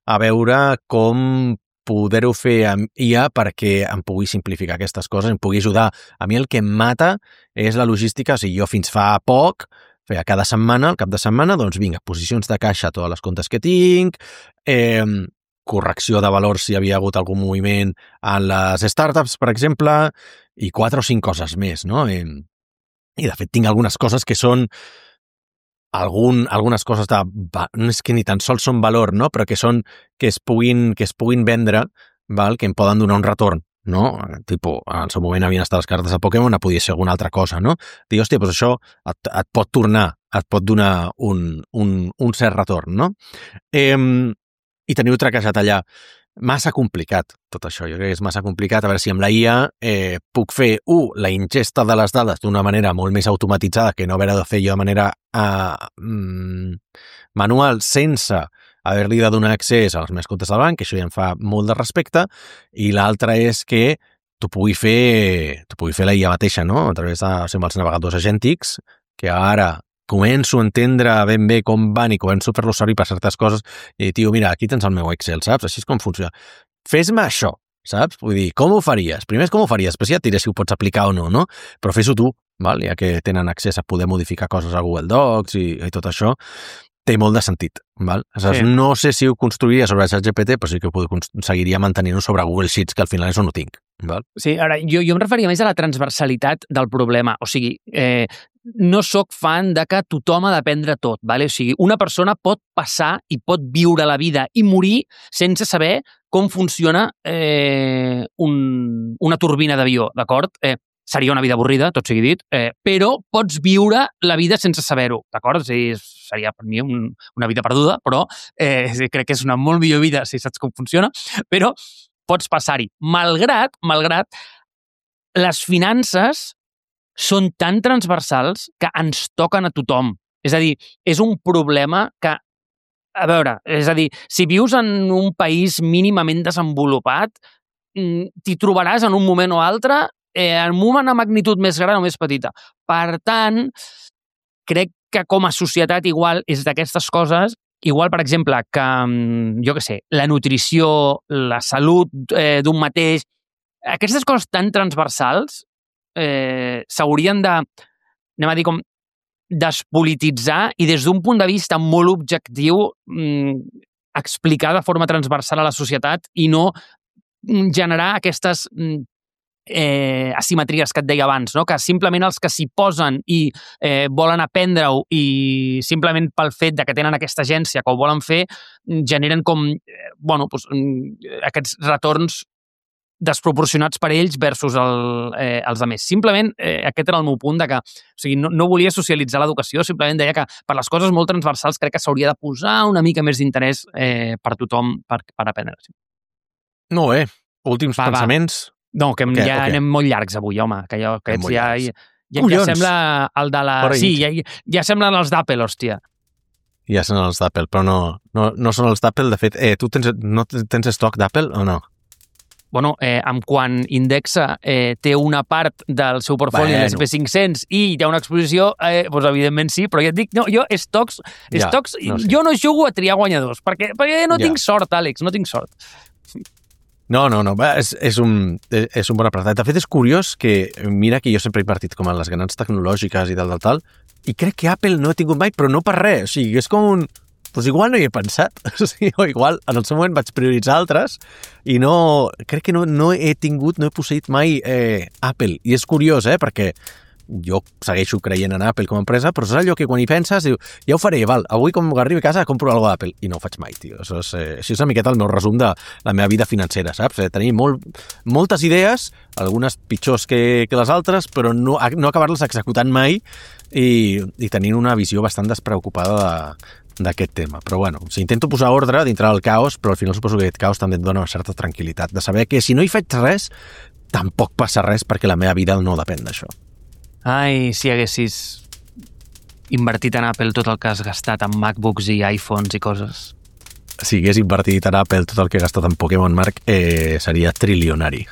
a veure com poder-ho fer amb I A perquè em pugui simplificar aquestes coses, em pugui ajudar. A mi el que em mata és la logística, o sigui, jo fins fa poc, feia cada setmana, al cap de setmana, doncs vinga, posicions de caixa a totes les comptes que tinc, eh, correcció de valors si hi havia hagut algun moviment en les startups, per exemple, i quatre o cinc coses més, no? I, i de fet tinc algunes coses que són algun, algunes coses de... no és que ni tan sols són valor, no? Però que són que es puguin, que es puguin vendre, val? Que em poden donar un retorn, no? Tipo, en el seu moment havien estat les cartes de Pokémon, podia ser alguna altra cosa, no? Dic, hòstia, doncs això et, et pot tornar, et pot donar un, un, un cert retorn, no? Eh, I teniu traquejat allà. Massa complicat, tot això. Jo crec que és massa complicat. A veure si amb la I A eh, puc fer, u, la ingesta de les dades d'una manera molt més automatitzada que no haver de fer jo de manera uh, mm, manual, sense haver-li de donar accés als meus comptes del banc, que això ja em fa molt de respecte, i l'altra és que tu pugui fer, tu pugui fer la I A mateixa, no? A través de, o sigui, els navegadors agèntics, que ara començo a entendre ben bé com van i començo a fer-lo servir per certes coses i, tio, mira, aquí tens el meu Excel, saps? Així és com funciona. Fes-me això, saps? Vull dir, com ho faries? Primer és com ho faries, després ja et diré si ho pots aplicar o no, no? Però fes-ho tu, val? Ja que tenen accés a poder modificar coses a Google Docs i, i tot això, té molt de sentit, val? Aleshores, sí. No sé si ho construiria sobre ChatGPT, però sí que ho seguiria mantenint-ho sobre Google Sheets, que al final és on ho tinc, val? Sí, ara, jo, jo em referia més a la transversalitat del problema. O sigui, eh, no sóc fan de que tothom ha d'aprendre tot, vale? O sigui, una persona pot passar i pot viure la vida i morir sense saber com funciona eh, un, una turbina d'avió, d'acord? Eh, seria una vida avorrida, tot sigui dit, eh, però pots viure la vida sense saber-ho, d'acord? O sigui, seria per mi un, una vida perduda, però eh, crec que és una molt millor vida si saps com funciona, però pots passar-hi. Malgrat, malgrat, les finances són tan transversals que ens toquen a tothom. És a dir, és un problema que, a veure, és a dir, si vius en un país mínimament desenvolupat, t'hi trobaràs en un moment o altre eh, en una magnitud més gran o més petita. Per tant, crec que com a societat igual és d'aquestes coses, igual, per exemple, que, jo què sé, la nutrició, la salut eh, d'un mateix, aquestes coses tan transversals eh, s'haurien de, anem a dir, com despolititzar i des d'un punt de vista molt objectiu mm, explicar de forma transversal a la societat i no generar aquestes eh, asimetries que et deia abans, no? Que simplement els que s'hi posen i eh, volen aprendre-ho i simplement pel fet de que tenen aquesta agència que ho volen fer, generen com eh, bueno, doncs, aquests retorns desproporcionats per ells versus el, eh, els altres. Simplement, eh, aquest era el meu punt de que, o sigui, no, no volia socialitzar l'educació, simplement deia que per les coses molt transversals crec que s'hauria de posar una mica més d'interès eh, per tothom per, per aprendre. No, bé. Últims va, pensaments? Va. No, que okay, ja okay. anem molt llargs avui, home, que jo, que ja, ja, ja, ja sembla el de la... Sí, ja, ja semblen els d'Apple, hòstia. Ja són els d'Apple, però no, no, no són els d'Apple. De fet, eh, tu tens, no tens estoc d'Apple o no? Bueno, eh, amb quan Indexa eh, té una part del seu portfoli bueno. l'S and P cinc-cents i hi ha una exposició, eh, doncs evidentment sí, però ja et dic, no, jo stocks, ja, stocks no, sí. jo no jugo a triar guanyadors, perquè, perquè no ja. tinc sort, Àlex, no tinc sort. No, no, no, és, és, un, és un bon apartat. De fet, és curiós que, mira que jo sempre he invertit com en les grans tecnològiques i tal, tal, tal, i crec que Apple no he tingut mai, però no per res. O sigui, és com un... Doncs igual no hi he pensat. O sigui, o igual en el seu moment vaig prioritzar altres i no... Crec que no, no he tingut, no he posseït mai eh, Apple. I és curiós, eh, perquè jo segueixo creient en Apple com a empresa, però és allò que quan hi penses, diu, ja ho faré, val, avui com arribi a casa compro alguna cosa d'Apple, i no ho faig mai, tio. Això és, eh, això és una miqueta el meu resum de la meva vida financera, saps? Eh, tenir molt, moltes idees, algunes pitjors que, que les altres, però no, no acabar-les executant mai i, i tenint una visió bastant despreocupada d'aquest tema. Però bueno, o sigui, intento posar ordre dintre del caos, però al final suposo que aquest caos també et dona una certa tranquil·litat, de saber que si no hi faig res, tampoc passa res perquè la meva vida no depèn d'això. Ai, si haguessis invertit en Apple tot el que has gastat en MacBooks i iPhones i coses. Si hagués invertit en Apple tot el que he gastat en Pokémon, Marc, eh, seria trilionari.